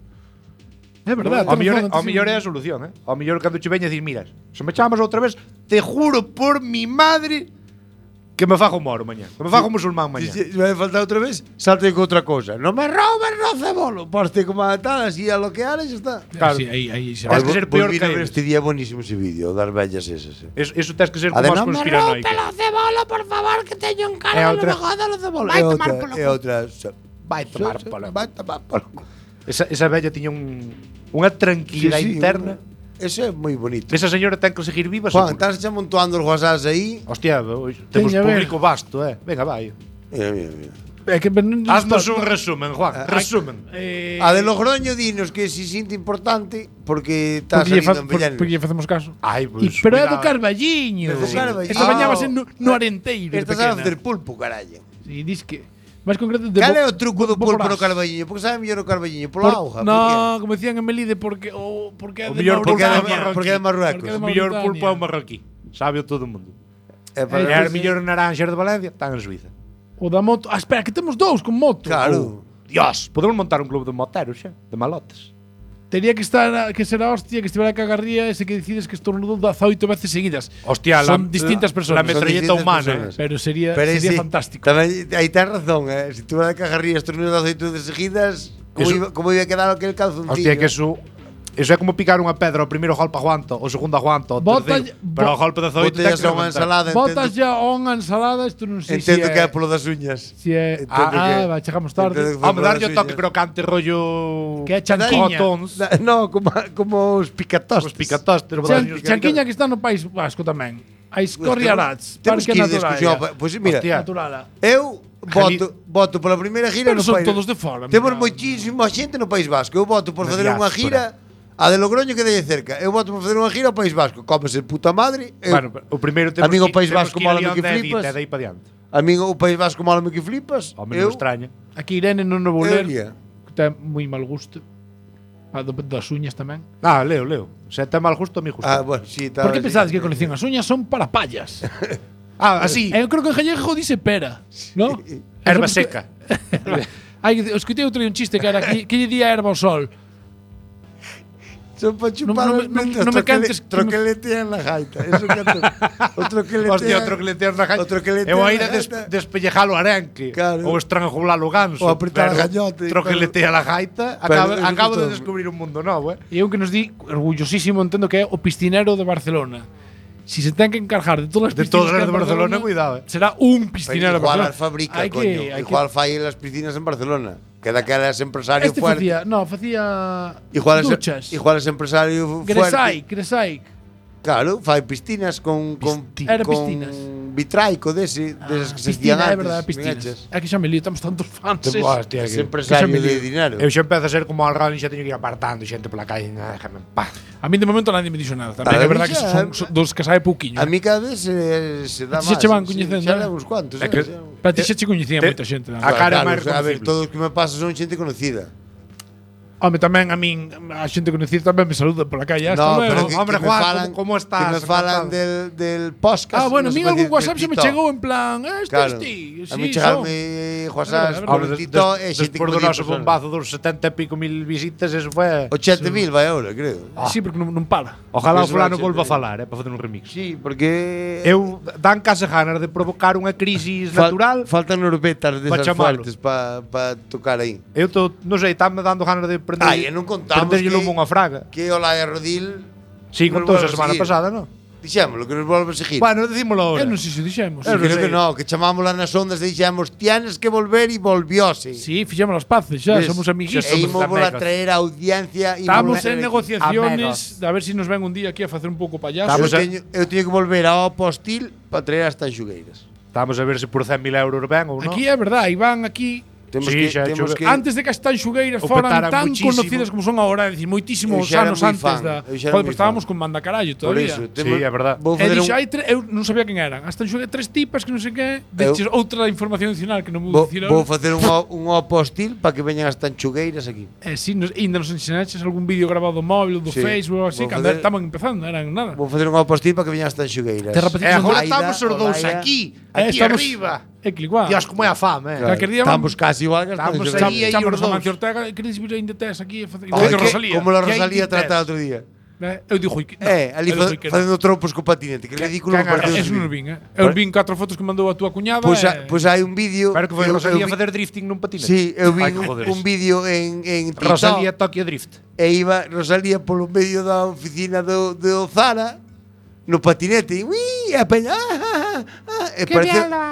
[SPEAKER 2] É verdade.
[SPEAKER 8] Ao mellor,
[SPEAKER 2] temos
[SPEAKER 8] ao
[SPEAKER 2] razón,
[SPEAKER 8] mellor é a
[SPEAKER 2] sí.
[SPEAKER 8] solución, Ao mellor cando che veña a dicir, miras, se me chamas outra vez, te juro por mi madre que me fajo moro mañá. Que me fajo musulmán mañá.
[SPEAKER 7] Si me falta outra vez, salte con outra cosa. Non me robes no cebolo, poste como a tal, así a lo que hares, ya está.
[SPEAKER 8] Claro.
[SPEAKER 2] Sí, aí xa.
[SPEAKER 8] Tens que ser peor que eles.
[SPEAKER 7] Este día é buenísimo ese vídeo, das bellas esas.
[SPEAKER 8] Eso tens que ser
[SPEAKER 7] A
[SPEAKER 8] como
[SPEAKER 7] de
[SPEAKER 8] as
[SPEAKER 7] non me
[SPEAKER 8] conspiranoicas.
[SPEAKER 4] cebola, por favor, que teño un
[SPEAKER 8] É
[SPEAKER 4] cara
[SPEAKER 8] outra.
[SPEAKER 7] Joder, cebolo.
[SPEAKER 4] Vai tomar polo
[SPEAKER 7] É outra.
[SPEAKER 8] Vai tomar polo.
[SPEAKER 7] Vai tomar polo.
[SPEAKER 8] Esa bella tiña unha tranquilidade interna.
[SPEAKER 7] Ese é moi bonito.
[SPEAKER 8] Esa señora ten que seguir viva.
[SPEAKER 7] Juan,
[SPEAKER 8] seguro.
[SPEAKER 7] estás xa montuando os WhatsApps aí.
[SPEAKER 8] Hostia, hoxe temos
[SPEAKER 2] Teña a ver.
[SPEAKER 8] público vasto, Venga, vai.
[SPEAKER 7] Mira.
[SPEAKER 2] É que non
[SPEAKER 8] Haznos un resumen, Juan. Resumen.
[SPEAKER 7] A de Logroño dinos que si sinto importante porque está salindo en Bellanes.
[SPEAKER 2] porque lle facemos caso.
[SPEAKER 8] Ai, pues,
[SPEAKER 2] Pero é do
[SPEAKER 8] cuidado.
[SPEAKER 2] Carballiño.
[SPEAKER 7] É do Carballiño.
[SPEAKER 2] Esta bañábase no Arenteiro. de
[SPEAKER 7] Estás a
[SPEAKER 2] pequena.
[SPEAKER 7] facer pulpo, carallo.
[SPEAKER 2] Sí, dis que máis concreto de
[SPEAKER 7] Cal é o truco do pulpo no
[SPEAKER 2] Carballiño?
[SPEAKER 7] Carballiño? Porque sabe mellor o Carballiño? Pola auga?
[SPEAKER 2] No, como decían en Melide porque porque é
[SPEAKER 8] O
[SPEAKER 2] de
[SPEAKER 8] mellor
[SPEAKER 7] Porque é de
[SPEAKER 2] Mauritania.
[SPEAKER 7] Marrocos. Porque é de Marruecos.
[SPEAKER 2] Porque é de
[SPEAKER 8] O mellor
[SPEAKER 2] Mauritania.
[SPEAKER 8] pulpo é o marroquí. Sabe todo o mundo.
[SPEAKER 7] É
[SPEAKER 8] E
[SPEAKER 7] para
[SPEAKER 8] as mellor naranxas de Valencia están en Suiza.
[SPEAKER 2] O da moto. Ah, espera, que temos dous con moto.
[SPEAKER 7] Claro.
[SPEAKER 8] Dios, podemos montar un club de moteros xa, de malotes.
[SPEAKER 2] Tería que ser a hostia que estivera a cagarría ese que decides que estornudou 18 veces seguidas.
[SPEAKER 8] Hostia,
[SPEAKER 2] son distintas personas.
[SPEAKER 8] La metralleta
[SPEAKER 7] Son distintas
[SPEAKER 8] humana,
[SPEAKER 7] personas.
[SPEAKER 2] Pero sería
[SPEAKER 7] Pero
[SPEAKER 2] sería
[SPEAKER 7] sí,
[SPEAKER 2] fantástico.
[SPEAKER 7] Tamén, aí tens razón, Si tú vas a cagarrías estornudos de aceite de seguidas, como iba a quedar aquel calzoncillo?
[SPEAKER 8] Hostia, que eso é como picar unha pedra, o primeiro golpe aguanto, o segundo aguanto, o
[SPEAKER 2] Bota-
[SPEAKER 8] terceiro. Pero o golpe de zoito ten
[SPEAKER 7] Botellas
[SPEAKER 8] que
[SPEAKER 7] a unha
[SPEAKER 8] reventar.
[SPEAKER 7] ensalada,
[SPEAKER 2] Botas
[SPEAKER 7] entendo,
[SPEAKER 2] ya unha ensalada, isto non sei
[SPEAKER 7] entendo
[SPEAKER 2] se
[SPEAKER 7] que é polo das uñas.
[SPEAKER 2] Si é
[SPEAKER 7] Entendo que-
[SPEAKER 2] va, chegamos tarde.
[SPEAKER 7] entendo que foi
[SPEAKER 8] Home,
[SPEAKER 7] polo
[SPEAKER 8] darlle o
[SPEAKER 7] das
[SPEAKER 8] toque
[SPEAKER 7] uñas.
[SPEAKER 8] crocante rollo...
[SPEAKER 2] Que é chanquiña.
[SPEAKER 8] Cotons.
[SPEAKER 7] No, como os picatostes.
[SPEAKER 8] Os picatostes.
[SPEAKER 2] Chanquiña que está no País Vasco tamén. A Escorriarats,
[SPEAKER 7] Temos
[SPEAKER 2] Parque
[SPEAKER 7] que ir de
[SPEAKER 2] Natural.
[SPEAKER 7] excursión. Pois mira,
[SPEAKER 8] Hostia.
[SPEAKER 2] Naturala.
[SPEAKER 7] eu voto pola primeira gira
[SPEAKER 2] Pero
[SPEAKER 7] no
[SPEAKER 2] son
[SPEAKER 7] País.
[SPEAKER 2] todos de fora.
[SPEAKER 7] Temos
[SPEAKER 2] mira.
[SPEAKER 7] moitísima xente no País Vasco. Eu voto por
[SPEAKER 6] Na
[SPEAKER 7] facer unha
[SPEAKER 6] diáspora.
[SPEAKER 7] gira a de Logroño que dei cerca. Eu voto por facer unha gira ao País Vasco. Cómese puta madre.
[SPEAKER 6] Bueno, o primeiro temos
[SPEAKER 7] Amigo
[SPEAKER 6] que-
[SPEAKER 7] País
[SPEAKER 6] temos
[SPEAKER 7] Vasco
[SPEAKER 6] que ir a
[SPEAKER 7] mola-me
[SPEAKER 6] León
[SPEAKER 7] que
[SPEAKER 6] de Edith,
[SPEAKER 7] flipas.
[SPEAKER 6] e de aí para diante.
[SPEAKER 7] A mí o País Vasco malo que flipas.
[SPEAKER 6] Ao menos extraña.
[SPEAKER 2] Aquí Irene non o vou
[SPEAKER 7] Eu
[SPEAKER 2] ler,
[SPEAKER 7] iría.
[SPEAKER 2] que ten moi mal gusto. Das uñas tamén.
[SPEAKER 6] Ah, leo. Se te mal justo, a mí justo.
[SPEAKER 7] Bueno, sí,
[SPEAKER 2] Por que pensades que colección as uñas son para pallas?
[SPEAKER 6] Así.
[SPEAKER 2] Eu creo que en gallego dice pera, ¿no?
[SPEAKER 6] Erva seca.
[SPEAKER 2] Escutei outro día un chiste que era que lle día erva ao sol.
[SPEAKER 7] Son para chupar
[SPEAKER 2] No
[SPEAKER 7] as mentas.
[SPEAKER 2] me cantes que me-
[SPEAKER 7] Troqueletean na gaita. Eso que o troqueletean.
[SPEAKER 6] Hostia, outro que le teas na gaita.
[SPEAKER 7] Outro que le
[SPEAKER 6] Eu
[SPEAKER 7] teas
[SPEAKER 6] a ir
[SPEAKER 7] na
[SPEAKER 6] a
[SPEAKER 7] gaita.
[SPEAKER 6] despellejalo arenque.
[SPEAKER 7] Claro.
[SPEAKER 6] Ou estrangular o ganso.
[SPEAKER 7] Ou apretar
[SPEAKER 6] pero
[SPEAKER 7] a gañote.
[SPEAKER 6] Outro que le tea la gaita.
[SPEAKER 7] Pero eso
[SPEAKER 6] Acabo
[SPEAKER 7] todo.
[SPEAKER 6] de descubrir un mundo novo,
[SPEAKER 2] E eu que nos di, orgullosísimo, entendo que é o piscinero de Barcelona. Si se ten que encargar de todas as
[SPEAKER 6] De
[SPEAKER 2] piscinas
[SPEAKER 6] todas
[SPEAKER 2] que
[SPEAKER 6] as
[SPEAKER 2] hai
[SPEAKER 6] de
[SPEAKER 2] en
[SPEAKER 6] Barcelona, cuidado,
[SPEAKER 2] será un piscinero de
[SPEAKER 7] Igual
[SPEAKER 2] Barcelona.
[SPEAKER 7] as fabrica,
[SPEAKER 2] Hai
[SPEAKER 7] coño.
[SPEAKER 2] hai
[SPEAKER 7] Igual fai as piscinas en Barcelona. Que daquela es empresario
[SPEAKER 2] Este
[SPEAKER 7] fuerte.
[SPEAKER 2] facía
[SPEAKER 7] Igual
[SPEAKER 2] duchas.
[SPEAKER 7] es empresario fuerte.
[SPEAKER 2] Gresai.
[SPEAKER 7] Claro, fai piscinas con
[SPEAKER 2] Era piscinas.
[SPEAKER 7] vitraico desas que se
[SPEAKER 2] Piscina,
[SPEAKER 7] hacían
[SPEAKER 2] é
[SPEAKER 7] antes.
[SPEAKER 2] verdade,
[SPEAKER 7] ben
[SPEAKER 2] piscinas.
[SPEAKER 7] hechas.
[SPEAKER 2] É que xa me lío, estamos tantos fans.
[SPEAKER 6] Hostia,
[SPEAKER 7] Es
[SPEAKER 6] que-
[SPEAKER 7] empresario
[SPEAKER 2] que xa me
[SPEAKER 7] de
[SPEAKER 2] lío.
[SPEAKER 7] dinero.
[SPEAKER 6] Eu xa empezo a ser como Algarve, xa teño que ir apartando xente pola calle, déjame en paz.
[SPEAKER 2] A mí de momento nadie me dixo nada. Tamén
[SPEAKER 7] A
[SPEAKER 2] é
[SPEAKER 7] mí
[SPEAKER 2] verdade que
[SPEAKER 7] xa-
[SPEAKER 2] son dos que sabe pouquiño.
[SPEAKER 7] A mí cada vez se dá
[SPEAKER 2] A ti xa
[SPEAKER 7] máis.
[SPEAKER 2] che van
[SPEAKER 7] sí,
[SPEAKER 2] coñecendo,
[SPEAKER 7] xa
[SPEAKER 2] eh?
[SPEAKER 7] leva uns cuantos.
[SPEAKER 6] É que-
[SPEAKER 2] Pero ti xa che coñecía
[SPEAKER 6] Te-
[SPEAKER 2] moita xente.
[SPEAKER 6] a cara é máis
[SPEAKER 7] a ver,
[SPEAKER 6] reconocible.
[SPEAKER 7] todos os que me pasa son xente conocida.
[SPEAKER 2] Home, tamén a min, a xente conocida tamén me saluda pola calle. Hasta
[SPEAKER 7] No,
[SPEAKER 2] luego.
[SPEAKER 7] pero que
[SPEAKER 6] Hombre,
[SPEAKER 7] me
[SPEAKER 6] Juan,
[SPEAKER 7] falan,
[SPEAKER 6] ¿cómo estás?
[SPEAKER 7] Que me falan del podcast.
[SPEAKER 2] Bueno, a
[SPEAKER 7] no
[SPEAKER 2] mí
[SPEAKER 7] se
[SPEAKER 2] algún
[SPEAKER 7] pode
[SPEAKER 2] WhatsApp
[SPEAKER 7] decir
[SPEAKER 2] se me
[SPEAKER 7] Tito.
[SPEAKER 2] chegou en plan,
[SPEAKER 7] Claro.
[SPEAKER 2] ti.
[SPEAKER 7] A mí
[SPEAKER 2] Sí,
[SPEAKER 7] chegarme WhatsApp
[SPEAKER 2] verdade,
[SPEAKER 7] por
[SPEAKER 2] verdade.
[SPEAKER 7] Tito e xente que
[SPEAKER 6] Despois
[SPEAKER 7] me
[SPEAKER 6] do
[SPEAKER 7] di
[SPEAKER 6] noso
[SPEAKER 7] personas.
[SPEAKER 6] bombazo dos 70 e pico mil visitas, eso foi...
[SPEAKER 7] 80.000 vai ahora, creo.
[SPEAKER 2] Sí, porque non para.
[SPEAKER 6] Ojalá o
[SPEAKER 7] Eso
[SPEAKER 6] fulano
[SPEAKER 7] vai
[SPEAKER 6] volva a
[SPEAKER 7] ser-
[SPEAKER 6] falar, para facer un remix.
[SPEAKER 7] Sí, porque
[SPEAKER 6] Eu dan case ganas de provocar unha crisis natural.
[SPEAKER 7] Faltan orbetas
[SPEAKER 6] Pa
[SPEAKER 7] desas
[SPEAKER 6] chamalo.
[SPEAKER 7] fuertes para tocar aí.
[SPEAKER 6] Eu non sei, me dando ganas de prender.
[SPEAKER 7] Ai, e non contamos
[SPEAKER 6] prenderlle
[SPEAKER 7] que-
[SPEAKER 6] lume unha fraga.
[SPEAKER 7] Que Olaya Rodil
[SPEAKER 6] Sí,
[SPEAKER 7] nos
[SPEAKER 6] contou
[SPEAKER 7] volve
[SPEAKER 6] a
[SPEAKER 7] a
[SPEAKER 6] semana
[SPEAKER 7] seguir.
[SPEAKER 6] pasada, non?
[SPEAKER 7] Dixémolo, que nos volve a seguir.
[SPEAKER 6] Bueno, decímolo ahora.
[SPEAKER 2] Eu non sei se dixemos.
[SPEAKER 7] Sí, creo
[SPEAKER 6] sei.
[SPEAKER 7] que no, que chamámosla nas ondas e dixemos tienes que volver e volvióse.
[SPEAKER 2] Sí, fixemos as paces xa,
[SPEAKER 7] Ves?
[SPEAKER 2] somos amiguitos.
[SPEAKER 7] E
[SPEAKER 6] somos
[SPEAKER 7] ímos a
[SPEAKER 6] amigos.
[SPEAKER 7] traer a audiencia.
[SPEAKER 2] Estamos en
[SPEAKER 6] Amigos.
[SPEAKER 2] negociaciones de a ver si nos ven un día aquí a facer un pouco payaso.
[SPEAKER 6] Estamos
[SPEAKER 7] Eu teño que volver ao Postil para traer as tanxugueiras.
[SPEAKER 6] Estamos a ver se por 100.000 euros ven ou non.
[SPEAKER 2] Aquí é verdade, Iván aquí
[SPEAKER 7] Temos
[SPEAKER 6] Sí,
[SPEAKER 7] que,
[SPEAKER 6] xa,
[SPEAKER 7] temos
[SPEAKER 6] xugue-
[SPEAKER 7] que
[SPEAKER 2] antes de que as tanxugueiras
[SPEAKER 6] O
[SPEAKER 2] foran
[SPEAKER 6] petaran
[SPEAKER 2] tan
[SPEAKER 6] muchísimo.
[SPEAKER 2] conocidas como son agora, é dicir, moitísimos
[SPEAKER 7] Eu xa era
[SPEAKER 2] anos
[SPEAKER 7] moi
[SPEAKER 2] antes
[SPEAKER 7] fan,
[SPEAKER 2] da.
[SPEAKER 7] eu xa era
[SPEAKER 2] Joder,
[SPEAKER 7] moi
[SPEAKER 2] pues estábamos
[SPEAKER 7] fan.
[SPEAKER 2] con banda carallo
[SPEAKER 7] Por
[SPEAKER 2] todavía.
[SPEAKER 7] eso,
[SPEAKER 6] Sí, é verdade.
[SPEAKER 7] Vou
[SPEAKER 2] E
[SPEAKER 7] facer
[SPEAKER 2] dixo,
[SPEAKER 7] un,
[SPEAKER 2] eu non sabía quen eran. As tanxugueiras tres tipas que non sei que, dices outra información adicional que non
[SPEAKER 7] vou,
[SPEAKER 2] vou dicir.
[SPEAKER 7] vou facer un Postil para que veñan as tanxugueiras aquí.
[SPEAKER 2] Sí, ainda nos enseñaches algún vídeo grabado do móvil, do
[SPEAKER 7] Sí.
[SPEAKER 2] Facebook ou así,
[SPEAKER 7] Vou
[SPEAKER 2] cando
[SPEAKER 7] facer-
[SPEAKER 2] estaban empezando, eran nada.
[SPEAKER 7] Vou facer un Postil para que veñan as tanxugueiras.
[SPEAKER 2] Te repetiches
[SPEAKER 6] E agora
[SPEAKER 7] Olaida,
[SPEAKER 6] estamos os dous
[SPEAKER 7] Olaida.
[SPEAKER 6] aquí arriba.
[SPEAKER 2] É que igual.
[SPEAKER 6] Dios, como é a fame,
[SPEAKER 7] Claro,
[SPEAKER 2] Calquer día
[SPEAKER 7] estamos casi igual que as
[SPEAKER 6] Estamos
[SPEAKER 7] tanxugueiras.
[SPEAKER 6] aí, aí.
[SPEAKER 2] Chámonos
[SPEAKER 6] os
[SPEAKER 2] a
[SPEAKER 6] dous.
[SPEAKER 2] Mancio Ortega, queredes vir ainda tes aquí?
[SPEAKER 7] Ai,
[SPEAKER 2] Que
[SPEAKER 7] que-
[SPEAKER 2] Rosalía.
[SPEAKER 7] Como la
[SPEAKER 6] Que
[SPEAKER 7] Rosalía
[SPEAKER 6] hai
[SPEAKER 7] trata
[SPEAKER 6] tes.
[SPEAKER 7] outro día.
[SPEAKER 2] Eu digo, no,
[SPEAKER 7] Ali
[SPEAKER 2] eu digo que non.
[SPEAKER 7] facendo trompos co patinete. Que ridículo
[SPEAKER 6] que
[SPEAKER 7] me pareceu
[SPEAKER 2] Eso
[SPEAKER 7] ese
[SPEAKER 2] non o
[SPEAKER 7] vídeo.
[SPEAKER 2] vin, Eu vin 4 fotos que mandou a túa cuñada.
[SPEAKER 7] Pois hai un vídeo.
[SPEAKER 6] Pero que foi
[SPEAKER 7] eu
[SPEAKER 6] Rosalía a
[SPEAKER 7] vi-
[SPEAKER 6] facer drifting nun patinete.
[SPEAKER 7] Sí, eu vi
[SPEAKER 6] Ai, que joder.
[SPEAKER 7] un vídeo en TikTok.
[SPEAKER 6] Rosalía Tokyo Drift.
[SPEAKER 7] E iba Rosalía polo medio da oficina do Zara no patinete e ui, a peña e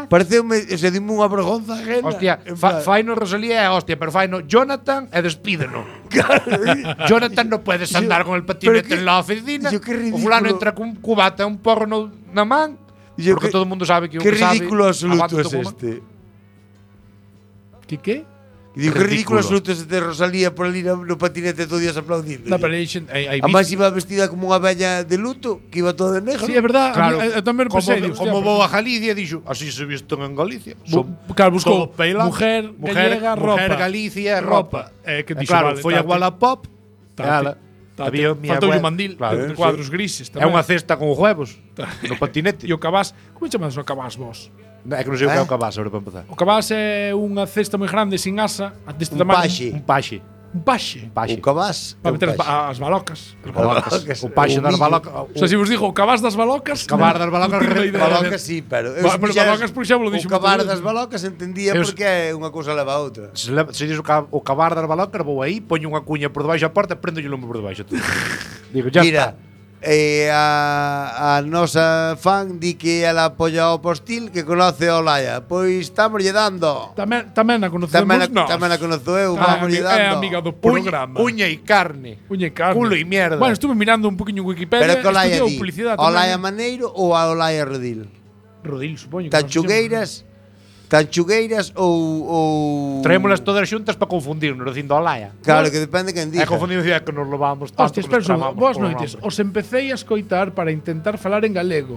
[SPEAKER 7] pareceume, o sea, dime unha vergonza ajena.
[SPEAKER 6] Hostia,
[SPEAKER 7] En plan,
[SPEAKER 6] fai no Rosalía é hostia, pero fai no Jonathan e despídeno. Jonathan no puedes andar con el patinete
[SPEAKER 7] pero que-
[SPEAKER 6] en la oficina.
[SPEAKER 7] yo, qué
[SPEAKER 6] O
[SPEAKER 7] ridículo.
[SPEAKER 6] fulano entra cun cubata e un porro na man.
[SPEAKER 7] yo
[SPEAKER 6] Porque
[SPEAKER 7] que-
[SPEAKER 6] todo o mundo sabe que o
[SPEAKER 7] que
[SPEAKER 6] que sabe
[SPEAKER 7] ridículo absoluto
[SPEAKER 6] aguanta
[SPEAKER 7] es
[SPEAKER 6] todo como-
[SPEAKER 7] este.
[SPEAKER 2] Que?
[SPEAKER 7] Digo, que ridículo
[SPEAKER 6] Ridículo.
[SPEAKER 7] absoluto es este Rosalía por ali no patinete todo días aplaudindo.
[SPEAKER 2] No, pero hai
[SPEAKER 7] Además iba vestida como unha bella de luto, que iba toda de negro.
[SPEAKER 2] Sí, é verdad.
[SPEAKER 6] Claro,
[SPEAKER 2] Eu tamén
[SPEAKER 6] como,
[SPEAKER 2] pensei, digo,
[SPEAKER 6] como
[SPEAKER 2] hostia,
[SPEAKER 6] vou a Galicia, dixo, así se visten en Galicia.
[SPEAKER 2] Claro, buscou
[SPEAKER 6] todo peilado.
[SPEAKER 2] mujer gallega, ropa.
[SPEAKER 6] Mujer Galicia, ropa.
[SPEAKER 2] Que dixo,
[SPEAKER 6] Claro,
[SPEAKER 2] vale,
[SPEAKER 6] foi a Wallapop.
[SPEAKER 2] Tate.
[SPEAKER 6] Había mi
[SPEAKER 2] Faltou un
[SPEAKER 6] abuela-
[SPEAKER 2] mandil,
[SPEAKER 6] Claro,
[SPEAKER 2] cuadros grises
[SPEAKER 6] É
[SPEAKER 2] tamén.
[SPEAKER 6] unha cesta con huevos no patinete.
[SPEAKER 2] E o cabás, como chamades o cabás vos?
[SPEAKER 6] É que non sei o que é o cabás, ahora para empezar.
[SPEAKER 2] O cabás é unha cesta moi grande sin asa, deste
[SPEAKER 7] Un
[SPEAKER 2] tamaño.
[SPEAKER 7] paxe.
[SPEAKER 6] Un paxe.
[SPEAKER 2] Un paxe.
[SPEAKER 6] Paxe.
[SPEAKER 7] O cabás.
[SPEAKER 2] Para meter as balocas.
[SPEAKER 6] O paxe das balocas.
[SPEAKER 2] O sea, se vos digo o cabás das balocas,
[SPEAKER 6] Cabar das balocas,
[SPEAKER 2] non tengo idea.
[SPEAKER 7] Balocas sí, pero
[SPEAKER 2] Pero balocas, por exemplo,
[SPEAKER 7] o
[SPEAKER 2] dixo
[SPEAKER 7] cabar
[SPEAKER 2] moito
[SPEAKER 7] das
[SPEAKER 2] veces.
[SPEAKER 7] balocas entendía
[SPEAKER 6] Eu-
[SPEAKER 7] porque unha cousa leva a outra.
[SPEAKER 6] Se dices o cabar das balocas, vou aí, poño unha cuña por debaixo da porta e prendo o lume por debaixo. Todo. Digo, ya
[SPEAKER 7] Mira,
[SPEAKER 6] está.
[SPEAKER 7] a nosa fan di que ela apoia o Postil que conoce a Olaya. Pois estamos lle dando.
[SPEAKER 2] Tamén a conocemos nós.
[SPEAKER 7] Tamén a conozo eu,
[SPEAKER 2] Ah,
[SPEAKER 7] vamos lle
[SPEAKER 2] é
[SPEAKER 7] dando.
[SPEAKER 2] amiga do programa.
[SPEAKER 6] Uña e carne.
[SPEAKER 2] Uña e carne.
[SPEAKER 6] Culo e mierda.
[SPEAKER 2] Bueno, estuve mirando un poquinho en Wikipedia.
[SPEAKER 7] Pero que Olaya
[SPEAKER 2] estudiou
[SPEAKER 7] di,
[SPEAKER 2] publicidade
[SPEAKER 7] Olaya
[SPEAKER 2] tamén.
[SPEAKER 7] Maneiro ou a Olaya Rodil?
[SPEAKER 2] Rodil, supoño. que non se
[SPEAKER 7] Tanchugueiras, Tanchugueiras ou
[SPEAKER 6] Traémolas todas xuntas para confundirnos, dicindo Olaya.
[SPEAKER 7] Claro, que depende quen diga.
[SPEAKER 6] É confundimos é que nos levamos tanto.
[SPEAKER 2] Hostias,
[SPEAKER 6] que nos
[SPEAKER 2] pero
[SPEAKER 6] tramamos
[SPEAKER 2] boas
[SPEAKER 6] polo
[SPEAKER 2] noites.
[SPEAKER 6] nome.
[SPEAKER 2] Os empecéi a escoitar para intentar falar en galego.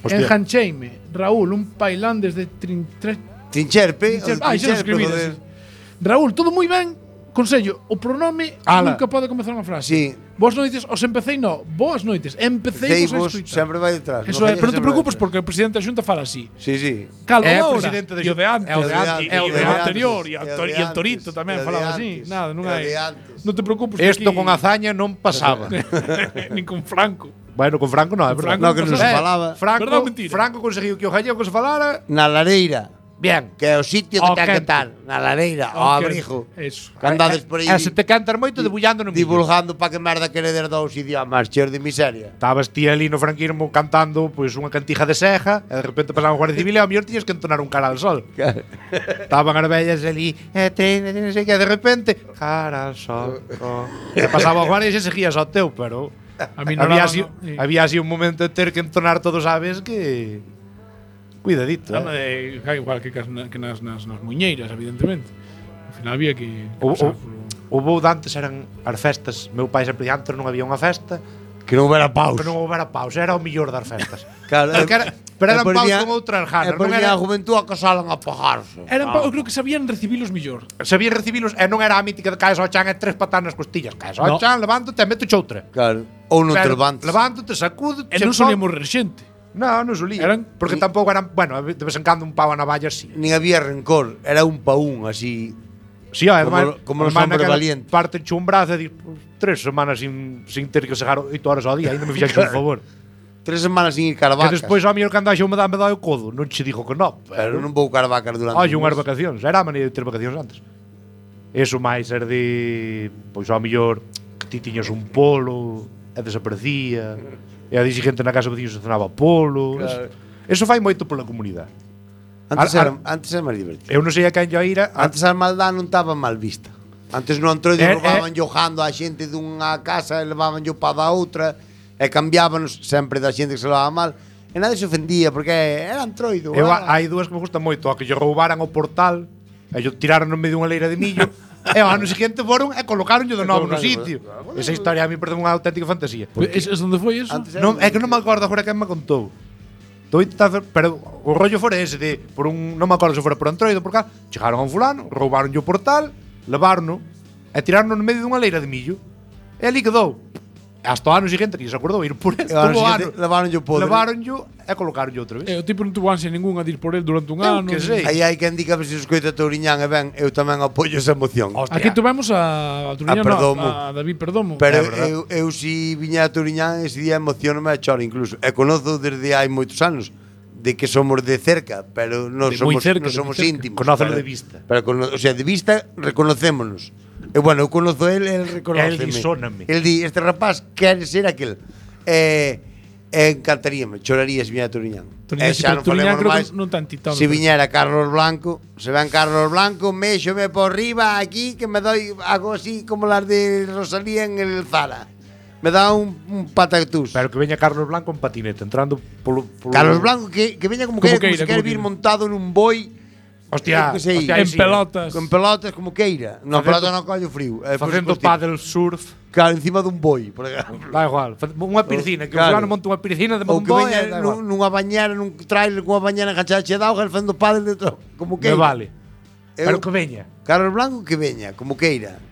[SPEAKER 6] Hostia.
[SPEAKER 2] Engancheime. Raúl, un pailán desde
[SPEAKER 7] Trincherpe,
[SPEAKER 2] Ai, xa non escribí.
[SPEAKER 7] joder.
[SPEAKER 2] Raúl, todo moi ben. Consello, o pronome
[SPEAKER 6] Ala.
[SPEAKER 2] nunca pode comezar unha frase.
[SPEAKER 7] Sí.
[SPEAKER 2] Boas noites, os empecéi no. Boas noites, empecéi
[SPEAKER 7] Ceibos
[SPEAKER 2] vos a escoitar.
[SPEAKER 7] sempre vai detrás.
[SPEAKER 2] Eso
[SPEAKER 7] non
[SPEAKER 2] é, pero non te
[SPEAKER 7] sempre vai
[SPEAKER 2] preocupes
[SPEAKER 7] detrás.
[SPEAKER 2] porque o presidente da Xunta fala así.
[SPEAKER 7] Sí, sí.
[SPEAKER 2] Calo,
[SPEAKER 6] É o
[SPEAKER 2] agora.
[SPEAKER 6] presidente da
[SPEAKER 2] E o de antes.
[SPEAKER 6] É o de antes.
[SPEAKER 2] E o de
[SPEAKER 7] antes.
[SPEAKER 2] anterior. E
[SPEAKER 7] É o de
[SPEAKER 2] e el Torito
[SPEAKER 7] antes.
[SPEAKER 2] tamén
[SPEAKER 7] É o de
[SPEAKER 2] falaba así.
[SPEAKER 7] antes.
[SPEAKER 2] Nada, non
[SPEAKER 7] É o
[SPEAKER 2] hai.
[SPEAKER 7] de antes.
[SPEAKER 2] Non te preocupes.
[SPEAKER 6] Isto
[SPEAKER 2] aquí-
[SPEAKER 6] con Azaña non pasaba.
[SPEAKER 2] Nin con Franco.
[SPEAKER 6] Bueno, con Franco non, é verdade.
[SPEAKER 2] Franco
[SPEAKER 7] No, que non se falaba.
[SPEAKER 2] Verdad ou mentira?
[SPEAKER 6] Franco conseguiu que o gallego se falara
[SPEAKER 7] Na lareira,
[SPEAKER 6] bien.
[SPEAKER 7] que é o sitio
[SPEAKER 2] Ao
[SPEAKER 7] que ten que
[SPEAKER 2] quente.
[SPEAKER 7] estar. Na lareira, ao
[SPEAKER 2] Ok,
[SPEAKER 7] abrigo.
[SPEAKER 2] Eso.
[SPEAKER 7] Que andades por aí
[SPEAKER 6] E se te cantar moito debullando no millo.
[SPEAKER 7] divulgando para que merda queredes dous idiomas, cheos de miseria.
[SPEAKER 6] Estabas ti ali no franquismo cantando pois unha cantija de Seja e de repente pasaba un guardia civil e ao mellor tiñas que entonar un cara al sol. Estaban as vellas ali non sei que de repente cara al sol. E pasaba o guardia e se seguías ao teu, pero
[SPEAKER 2] A mí non
[SPEAKER 6] había
[SPEAKER 2] daba,
[SPEAKER 6] así,
[SPEAKER 2] no. Sí.
[SPEAKER 6] había así un momento de ter que entonar todos sabes que cuidadito.
[SPEAKER 2] Igual que nas muñeiras, evidentemente. Ao final había que
[SPEAKER 6] O
[SPEAKER 2] pasar polo-
[SPEAKER 6] voo de antes eran as festas. Meu pai sempre antes non había unha festa
[SPEAKER 7] Que non houbera paus.
[SPEAKER 6] que non houbera paus, era o mellor das festas.
[SPEAKER 7] Claro,
[SPEAKER 6] Pero eran paus con outras ganas,
[SPEAKER 7] E por
[SPEAKER 6] non
[SPEAKER 7] día
[SPEAKER 6] era
[SPEAKER 7] a juventud acasalan a pagarse.
[SPEAKER 2] Eu creo que sabían recibilos mellor.
[SPEAKER 6] sabía recibilos e non era a mítica de caes ao chan e tres patas nas costillas. Caes ao
[SPEAKER 2] No.
[SPEAKER 6] chan, levántate e meto outra.
[SPEAKER 7] Claro. Ou non te
[SPEAKER 6] Pero
[SPEAKER 7] levantes.
[SPEAKER 6] Levántate, sacude,
[SPEAKER 2] E non solía morrer xente.
[SPEAKER 6] Non solía.
[SPEAKER 2] Eran-
[SPEAKER 6] Porque tampouco eran, bueno, de vez en cando un pau a navalla sí.
[SPEAKER 7] Nin había rencor, era un pa un, así.
[SPEAKER 6] Sí, además,
[SPEAKER 7] Como los
[SPEAKER 6] además
[SPEAKER 7] hombres
[SPEAKER 6] naquela
[SPEAKER 7] valientes.
[SPEAKER 6] Parte un brazo e dis, 3 semanas sin ter que segar 8 horas ao día, ainda me fixaxe un favor.
[SPEAKER 7] 3 semanas sin ir
[SPEAKER 6] Que
[SPEAKER 7] caravacas.
[SPEAKER 6] despois ao mellor cando haxe me dá o codo, non che digo que non,
[SPEAKER 7] Pero non vou caravacas durante.
[SPEAKER 6] Hai
[SPEAKER 7] un
[SPEAKER 6] unhas
[SPEAKER 7] mes.
[SPEAKER 6] vacacións, era a maneira de ter vacacións antes. Eso máis ser de, pois ao mellor que ti tiñas un polo e desaparecía. E a dixi gente na casa veciños se cenaba polo.
[SPEAKER 7] Claro.
[SPEAKER 6] Eso fai moito pola comunidade.
[SPEAKER 7] Antes era máis divertido.
[SPEAKER 6] Eu non sei a quen yo ira,
[SPEAKER 7] Antes a maldad non estaba mal vista. Antes no Antroido
[SPEAKER 6] Eh,
[SPEAKER 7] roubaban jojando a xente dunha casa e levaban yo para da outra e cambiábanos sempre da xente que se levaba mal e nadie se ofendía porque era Antroido.
[SPEAKER 6] hai dúas que me gustan moito, a que lle roubaran o portal e yo tiraron no medio dunha leira de millo e ao ano seguinte foron e colocaronlle de novo no sitio. Esa historia a mí parece unha auténtica fantasía.
[SPEAKER 2] Es onde foi eso?
[SPEAKER 7] Antes era
[SPEAKER 6] Non, é que non me acordo agora quen me contou. Estou intentando, pero o rollo fora ese de por un, non me acordo se fora por Antroido por cá, chegaron a un fulano, roubaron o portal, levaron e tiraron no medio dunha leira de millo. E ali quedou. E hasta o ano seguinte que se acordou ir por ele,
[SPEAKER 7] E ao ano
[SPEAKER 6] todo o ano.
[SPEAKER 7] seguinte levaronllo podre.
[SPEAKER 6] Levaronllo e colocaronlle outra vez.
[SPEAKER 2] O tipo non tuvo ansia ningunha de ir por el durante un
[SPEAKER 6] Eu
[SPEAKER 2] ano.
[SPEAKER 6] que sei.
[SPEAKER 7] Aí hai quen diga se escoita Touriñán e ben, eu tamén apoio esa emoción.
[SPEAKER 6] Hostia.
[SPEAKER 2] Aquí tuvemos a Turiñán,
[SPEAKER 7] Perdomo.
[SPEAKER 2] a David Perdomo.
[SPEAKER 7] Pero
[SPEAKER 6] É verdade.
[SPEAKER 7] eu si viña a Touriñán ese día emocionome a choro incluso. E conozo desde hai moitos anos de que somos de cerca, pero non
[SPEAKER 2] De moi
[SPEAKER 7] somos,
[SPEAKER 2] cerca,
[SPEAKER 7] non
[SPEAKER 2] de
[SPEAKER 7] somos
[SPEAKER 2] moi cerca.
[SPEAKER 7] íntimos.
[SPEAKER 6] Conócelo
[SPEAKER 7] pero-
[SPEAKER 6] de vista.
[SPEAKER 7] Pero o sea, de vista reconocémonos. E bueno, eu conozo el reconóceme.
[SPEAKER 6] El di, sóname.
[SPEAKER 7] El di, este rapaz quere ser aquel. Encantaríame, choraría se viñera a Touriñán.
[SPEAKER 2] Turiñán, sí, pero Turiñán creo que non tan titado.
[SPEAKER 7] Se viñera Carlos Blanco, se ven Carlos Blanco, méxome por riba aquí que me doy algo así como las de Rosalía en el Zara. Me da un patatús.
[SPEAKER 6] Pero que veña Carlos Blanco en patinete, entrando polo
[SPEAKER 7] Carlos Blanco que veña como
[SPEAKER 2] Como
[SPEAKER 7] que
[SPEAKER 2] queira,
[SPEAKER 7] se quere
[SPEAKER 2] como
[SPEAKER 7] vir
[SPEAKER 2] queira.
[SPEAKER 7] montado nun boi.
[SPEAKER 6] Hostia,
[SPEAKER 7] eu que sei,
[SPEAKER 6] hostia,
[SPEAKER 2] En
[SPEAKER 6] sí,
[SPEAKER 2] pelotas.
[SPEAKER 7] con pelotas como queira. No,
[SPEAKER 6] Facendo-
[SPEAKER 7] pelota non collo frío.
[SPEAKER 6] facendo paddle surf.
[SPEAKER 7] Claro, encima dun boi, por exemplo.
[SPEAKER 6] Da igual, unha piscina, que
[SPEAKER 7] Claro.
[SPEAKER 6] o fulano monta unha piscina de
[SPEAKER 7] Ou
[SPEAKER 6] un
[SPEAKER 7] que
[SPEAKER 6] boi,
[SPEAKER 7] veña
[SPEAKER 6] da igual.
[SPEAKER 7] nunha bañera, nun trailer cunha bañera enganchada che de auga, el facendo pádel dentro, como
[SPEAKER 6] Me
[SPEAKER 7] queira.
[SPEAKER 6] vale.
[SPEAKER 7] Eu-
[SPEAKER 6] Pero que veña.
[SPEAKER 7] Carlos Blanco que veña, como queira.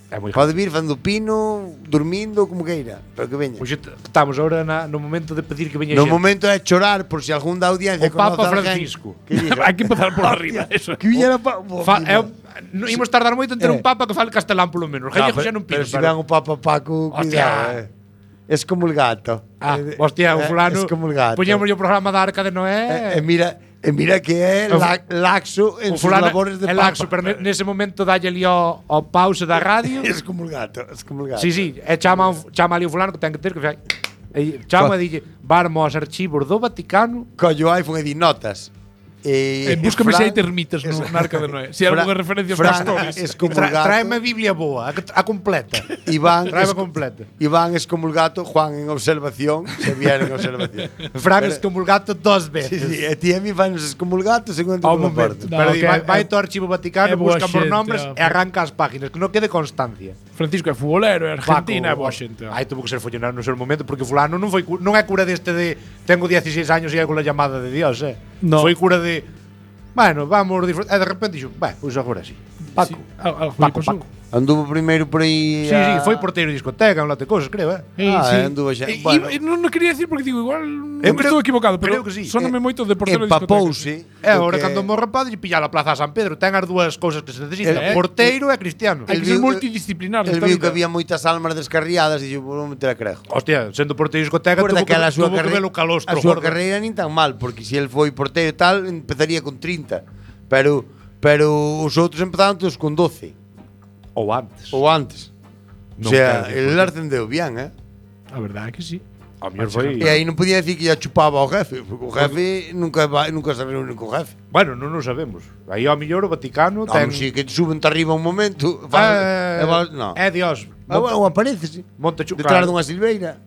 [SPEAKER 6] É moi
[SPEAKER 7] Pode vir facendo pino, dormindo, como queira, pero que veña.
[SPEAKER 6] Pois estamos agora no momento de pedir que veña
[SPEAKER 7] No
[SPEAKER 6] xente.
[SPEAKER 7] momento é chorar por si algún da audiencia
[SPEAKER 6] O Papa
[SPEAKER 7] conoce a alguén
[SPEAKER 6] Francisco.
[SPEAKER 7] que diga,
[SPEAKER 2] Hai que empezar por arriba, eso.
[SPEAKER 7] que viñera pa...
[SPEAKER 6] Non imos tardar moito en ter un papa que fale castelán polo menos. Gallego xa non
[SPEAKER 7] pero
[SPEAKER 6] pido.
[SPEAKER 7] si ven o Papa Paco,
[SPEAKER 6] Hostia.
[SPEAKER 7] cuidado, Es como el gato.
[SPEAKER 6] Hostia, o fulano.
[SPEAKER 7] Es como el gato.
[SPEAKER 6] Poñemos o programa da Arca de Noé.
[SPEAKER 7] Mira que é laxo en
[SPEAKER 6] o
[SPEAKER 7] sus
[SPEAKER 6] fulano
[SPEAKER 7] labores de
[SPEAKER 6] é
[SPEAKER 7] papa.
[SPEAKER 6] laxo, pero nese momento dalle ali ao pause da radio.
[SPEAKER 7] Es como el gato, es como el gato.
[SPEAKER 6] Sí, e chama ali o fulano que ten que ter que fai. E chama e dille, "Varmo aos archivos do Vaticano."
[SPEAKER 7] Collo o iPhone e di notas.
[SPEAKER 2] Búscame se hai termitas na Arca de Noé. Se hai algunha referencia aos pastores.
[SPEAKER 7] Es como el gato.
[SPEAKER 6] Tráeme a Biblia boa, a completa.
[SPEAKER 7] Iván
[SPEAKER 6] Tráeme completa.
[SPEAKER 7] Iván es como el gato, Juan en observación, Xavier en observación.
[SPEAKER 6] Fran es como el gato 2 veces.
[SPEAKER 7] Sí, e ti a mí fainos es como el gato según
[SPEAKER 6] Ao
[SPEAKER 7] por
[SPEAKER 6] momento.
[SPEAKER 7] porta.
[SPEAKER 6] Pero
[SPEAKER 2] que
[SPEAKER 6] vai ao Archivo Vaticano,
[SPEAKER 2] é boa
[SPEAKER 6] busca por
[SPEAKER 2] xente,
[SPEAKER 6] nombres e arranca as páginas, que non quede constancia.
[SPEAKER 2] Francisco é futbolero, é Argentina, é boa xente.
[SPEAKER 6] Aí tuvo que ser follonar no seu momento porque fulano non é cura deste de tengo 16 años e hai con la llamada de Dios,
[SPEAKER 2] No.
[SPEAKER 6] Foi cura de bueno, vamos disfrutar. E de repente dixo, pois agora sí. Paco.
[SPEAKER 2] Paco.
[SPEAKER 7] Anduvo primeiro por aí.
[SPEAKER 6] Sí, foi porteiro de discoteca, un lote de cosas, creo,
[SPEAKER 7] Anduvo xa. Bueno,
[SPEAKER 2] Non quería decir porque digo, igual
[SPEAKER 6] Eu
[SPEAKER 2] estou equivocado, pero
[SPEAKER 6] creo que sí.
[SPEAKER 2] soname moito de portero de discoteca.
[SPEAKER 7] empapouse.
[SPEAKER 6] E agora cando morre padre pilla a Plaza San Pedro, ten as dúas cousas que se necesitan, porteiro e cristiano.
[SPEAKER 2] Hai que ser
[SPEAKER 7] viu-
[SPEAKER 2] multidisciplinar
[SPEAKER 7] El
[SPEAKER 2] nesta
[SPEAKER 7] viu que
[SPEAKER 2] vida.
[SPEAKER 7] había moitas almas descarriadas e dixo, vou meter a crejo.
[SPEAKER 6] Hostia, sendo porteiro de discoteca,
[SPEAKER 7] Por
[SPEAKER 6] tuvo que
[SPEAKER 7] daquela a súa
[SPEAKER 6] ver o calostro.
[SPEAKER 7] A súa
[SPEAKER 6] gordo.
[SPEAKER 7] carreira nin tan mal, porque se el foi porteiro e tal, empezaría con 30. Pero os outros empezaron todos con 12
[SPEAKER 6] Ou antes.
[SPEAKER 7] ou antes. O
[SPEAKER 6] Non
[SPEAKER 7] sea,
[SPEAKER 6] quero
[SPEAKER 7] el
[SPEAKER 6] decir.
[SPEAKER 7] ascendeu bien,
[SPEAKER 2] A verdade é que sí.
[SPEAKER 6] A mellor foi.
[SPEAKER 7] E aí non podía decir que ya chupaba ao jefe, porque o jefe nunca se reúne co jefe.
[SPEAKER 6] Bueno, non o sabemos. Aí ao mellor o Vaticano
[SPEAKER 7] Ten...
[SPEAKER 6] ten
[SPEAKER 7] Si que te suben arriba un momento, no.
[SPEAKER 6] Dios.
[SPEAKER 7] Ou aparece, sí.
[SPEAKER 6] Monte
[SPEAKER 7] Detrás dunha silveira.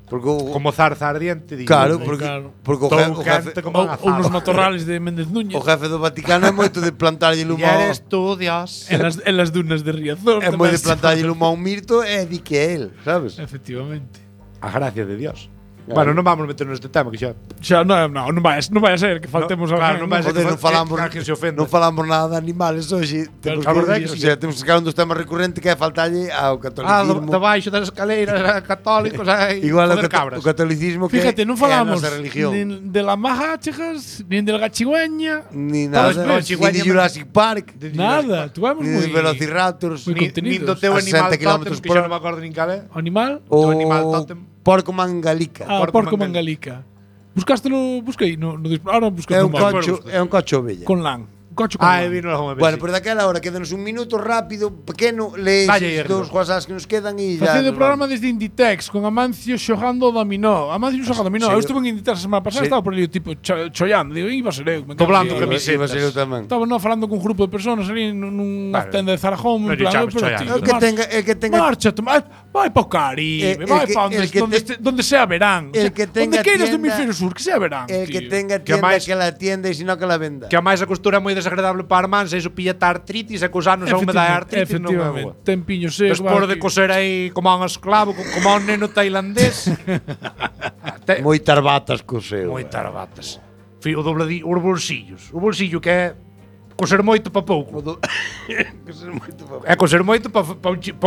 [SPEAKER 7] Porque o,
[SPEAKER 6] como zarza ardiente, digo.
[SPEAKER 7] claro,
[SPEAKER 2] claro.
[SPEAKER 7] porque o
[SPEAKER 6] Todo
[SPEAKER 7] jefe,
[SPEAKER 6] gente como
[SPEAKER 2] Ou nos matorrales de Méndez Núñez.
[SPEAKER 7] o jefe do Vaticano é moito de plantarlle
[SPEAKER 6] E
[SPEAKER 7] lumo.
[SPEAKER 6] eres tú, Dios.
[SPEAKER 2] En las dunas de Riazor.
[SPEAKER 7] É moi de plantarlle lumo a un mirto e di que é el, sabes?
[SPEAKER 2] Efectivamente.
[SPEAKER 6] A gracia de Dios.
[SPEAKER 7] Claro.
[SPEAKER 6] Bueno, non vamos meter neste tema que xa.
[SPEAKER 2] Xa non vai a ser que faltemos
[SPEAKER 6] No, claro,
[SPEAKER 2] alguén,
[SPEAKER 6] non vai a ser.
[SPEAKER 7] Joder, non falamos,
[SPEAKER 6] que alguén se ofenda.
[SPEAKER 7] non falamos nada de animales hoxe. Temos
[SPEAKER 6] a verdade é que
[SPEAKER 7] o sea, temos que sacar un dos temas recurrentes que é faltalle ao catolicismo.
[SPEAKER 6] de baixo das escaleiras católicos,
[SPEAKER 7] Igual
[SPEAKER 6] poder cabras.
[SPEAKER 7] o catolicismo que
[SPEAKER 2] Fíjate, non
[SPEAKER 7] é a
[SPEAKER 2] falamos
[SPEAKER 7] nosa religión.
[SPEAKER 2] nin de la Majáchegas, nin del Gachigüeña,
[SPEAKER 7] Ni nada,
[SPEAKER 2] Todos
[SPEAKER 7] ni de Jurassic Park,
[SPEAKER 2] nada. Tuvemos
[SPEAKER 7] ni de
[SPEAKER 2] moi
[SPEAKER 7] Velociraptors,
[SPEAKER 2] Moi
[SPEAKER 6] Nin
[SPEAKER 2] contenidos.
[SPEAKER 6] do teu
[SPEAKER 7] A
[SPEAKER 6] animal
[SPEAKER 7] 60
[SPEAKER 6] tótem,
[SPEAKER 7] kilómetros
[SPEAKER 6] que
[SPEAKER 7] por
[SPEAKER 6] xa
[SPEAKER 7] hora.
[SPEAKER 6] non me acordo nin cal é.
[SPEAKER 2] animal.
[SPEAKER 6] O animal tótem.
[SPEAKER 7] Porco mangalica.
[SPEAKER 2] Porco mangalica. Buscástelo, busquei, ahora busquei
[SPEAKER 7] É
[SPEAKER 2] no
[SPEAKER 7] un
[SPEAKER 2] mapa.
[SPEAKER 7] cocho ovella.
[SPEAKER 2] Con lan. Cocho con
[SPEAKER 6] Ah,
[SPEAKER 2] lan.
[SPEAKER 6] vino algunha vez.
[SPEAKER 7] Bueno,
[SPEAKER 6] sí.
[SPEAKER 7] por daquela hora quédanos un minuto rápido, pequeno, lees
[SPEAKER 6] Dalle,
[SPEAKER 7] os dous WhatsApps que nos quedan e ya.
[SPEAKER 2] Facendo o
[SPEAKER 7] nos
[SPEAKER 2] programa
[SPEAKER 7] vamos.
[SPEAKER 2] desde Inditex con Amancio xogando o dominó. Amancio xoga dominó. Eu estuve en Inditex a semana pasada, estaba por ali tipo chollando. Digo, iba a ser eu. me cago
[SPEAKER 6] Doblando
[SPEAKER 2] en Dios.
[SPEAKER 6] camisetas.
[SPEAKER 7] Iba a ser eu tamén.
[SPEAKER 2] Estaba falando con un grupo de personas ali nunha
[SPEAKER 6] Vale.
[SPEAKER 2] tenda de Zarajón,
[SPEAKER 6] Non
[SPEAKER 2] en plan,
[SPEAKER 6] lle chames
[SPEAKER 2] pero
[SPEAKER 6] chollando.
[SPEAKER 2] tío,
[SPEAKER 7] El que tenga
[SPEAKER 2] marcha, vai pa o Caribe, vai pa donde sea verán.
[SPEAKER 7] el que tenga
[SPEAKER 2] donde queiras do
[SPEAKER 7] tienda-
[SPEAKER 2] hemisferio sur, que sea verán.
[SPEAKER 7] el que
[SPEAKER 2] tío.
[SPEAKER 7] tenga
[SPEAKER 6] Que
[SPEAKER 7] tienda
[SPEAKER 6] máis-
[SPEAKER 7] que la atienda e sino que la venda.
[SPEAKER 6] Que a máis a costura é moi desagradable para a mansa, iso pilla artritis e cos anos a humedade e artritis non é boa.
[SPEAKER 2] Efectivamente, tempiño seco.
[SPEAKER 6] Despois de coser aí como a un esclavo, como a un neno tailandés.
[SPEAKER 7] Moitas batas co seu.
[SPEAKER 6] Moitas batas. O dobladillo, os bolsillos. O bolsillo que é coser moito para pouco. É coser moito para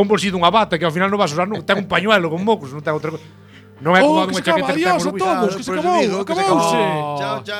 [SPEAKER 6] un bolsillo dunha bata que ao final non vas usar nunca. Ten un pañuelo con mocos, non ten outra cosa. Non é como
[SPEAKER 2] Oh,
[SPEAKER 6] a
[SPEAKER 2] que
[SPEAKER 6] dunha
[SPEAKER 2] se acaba,
[SPEAKER 6] chaqueta que ten
[SPEAKER 2] adiós a
[SPEAKER 6] orgullo.
[SPEAKER 2] todos, que se acabou, acabouse.
[SPEAKER 7] Chao, chao.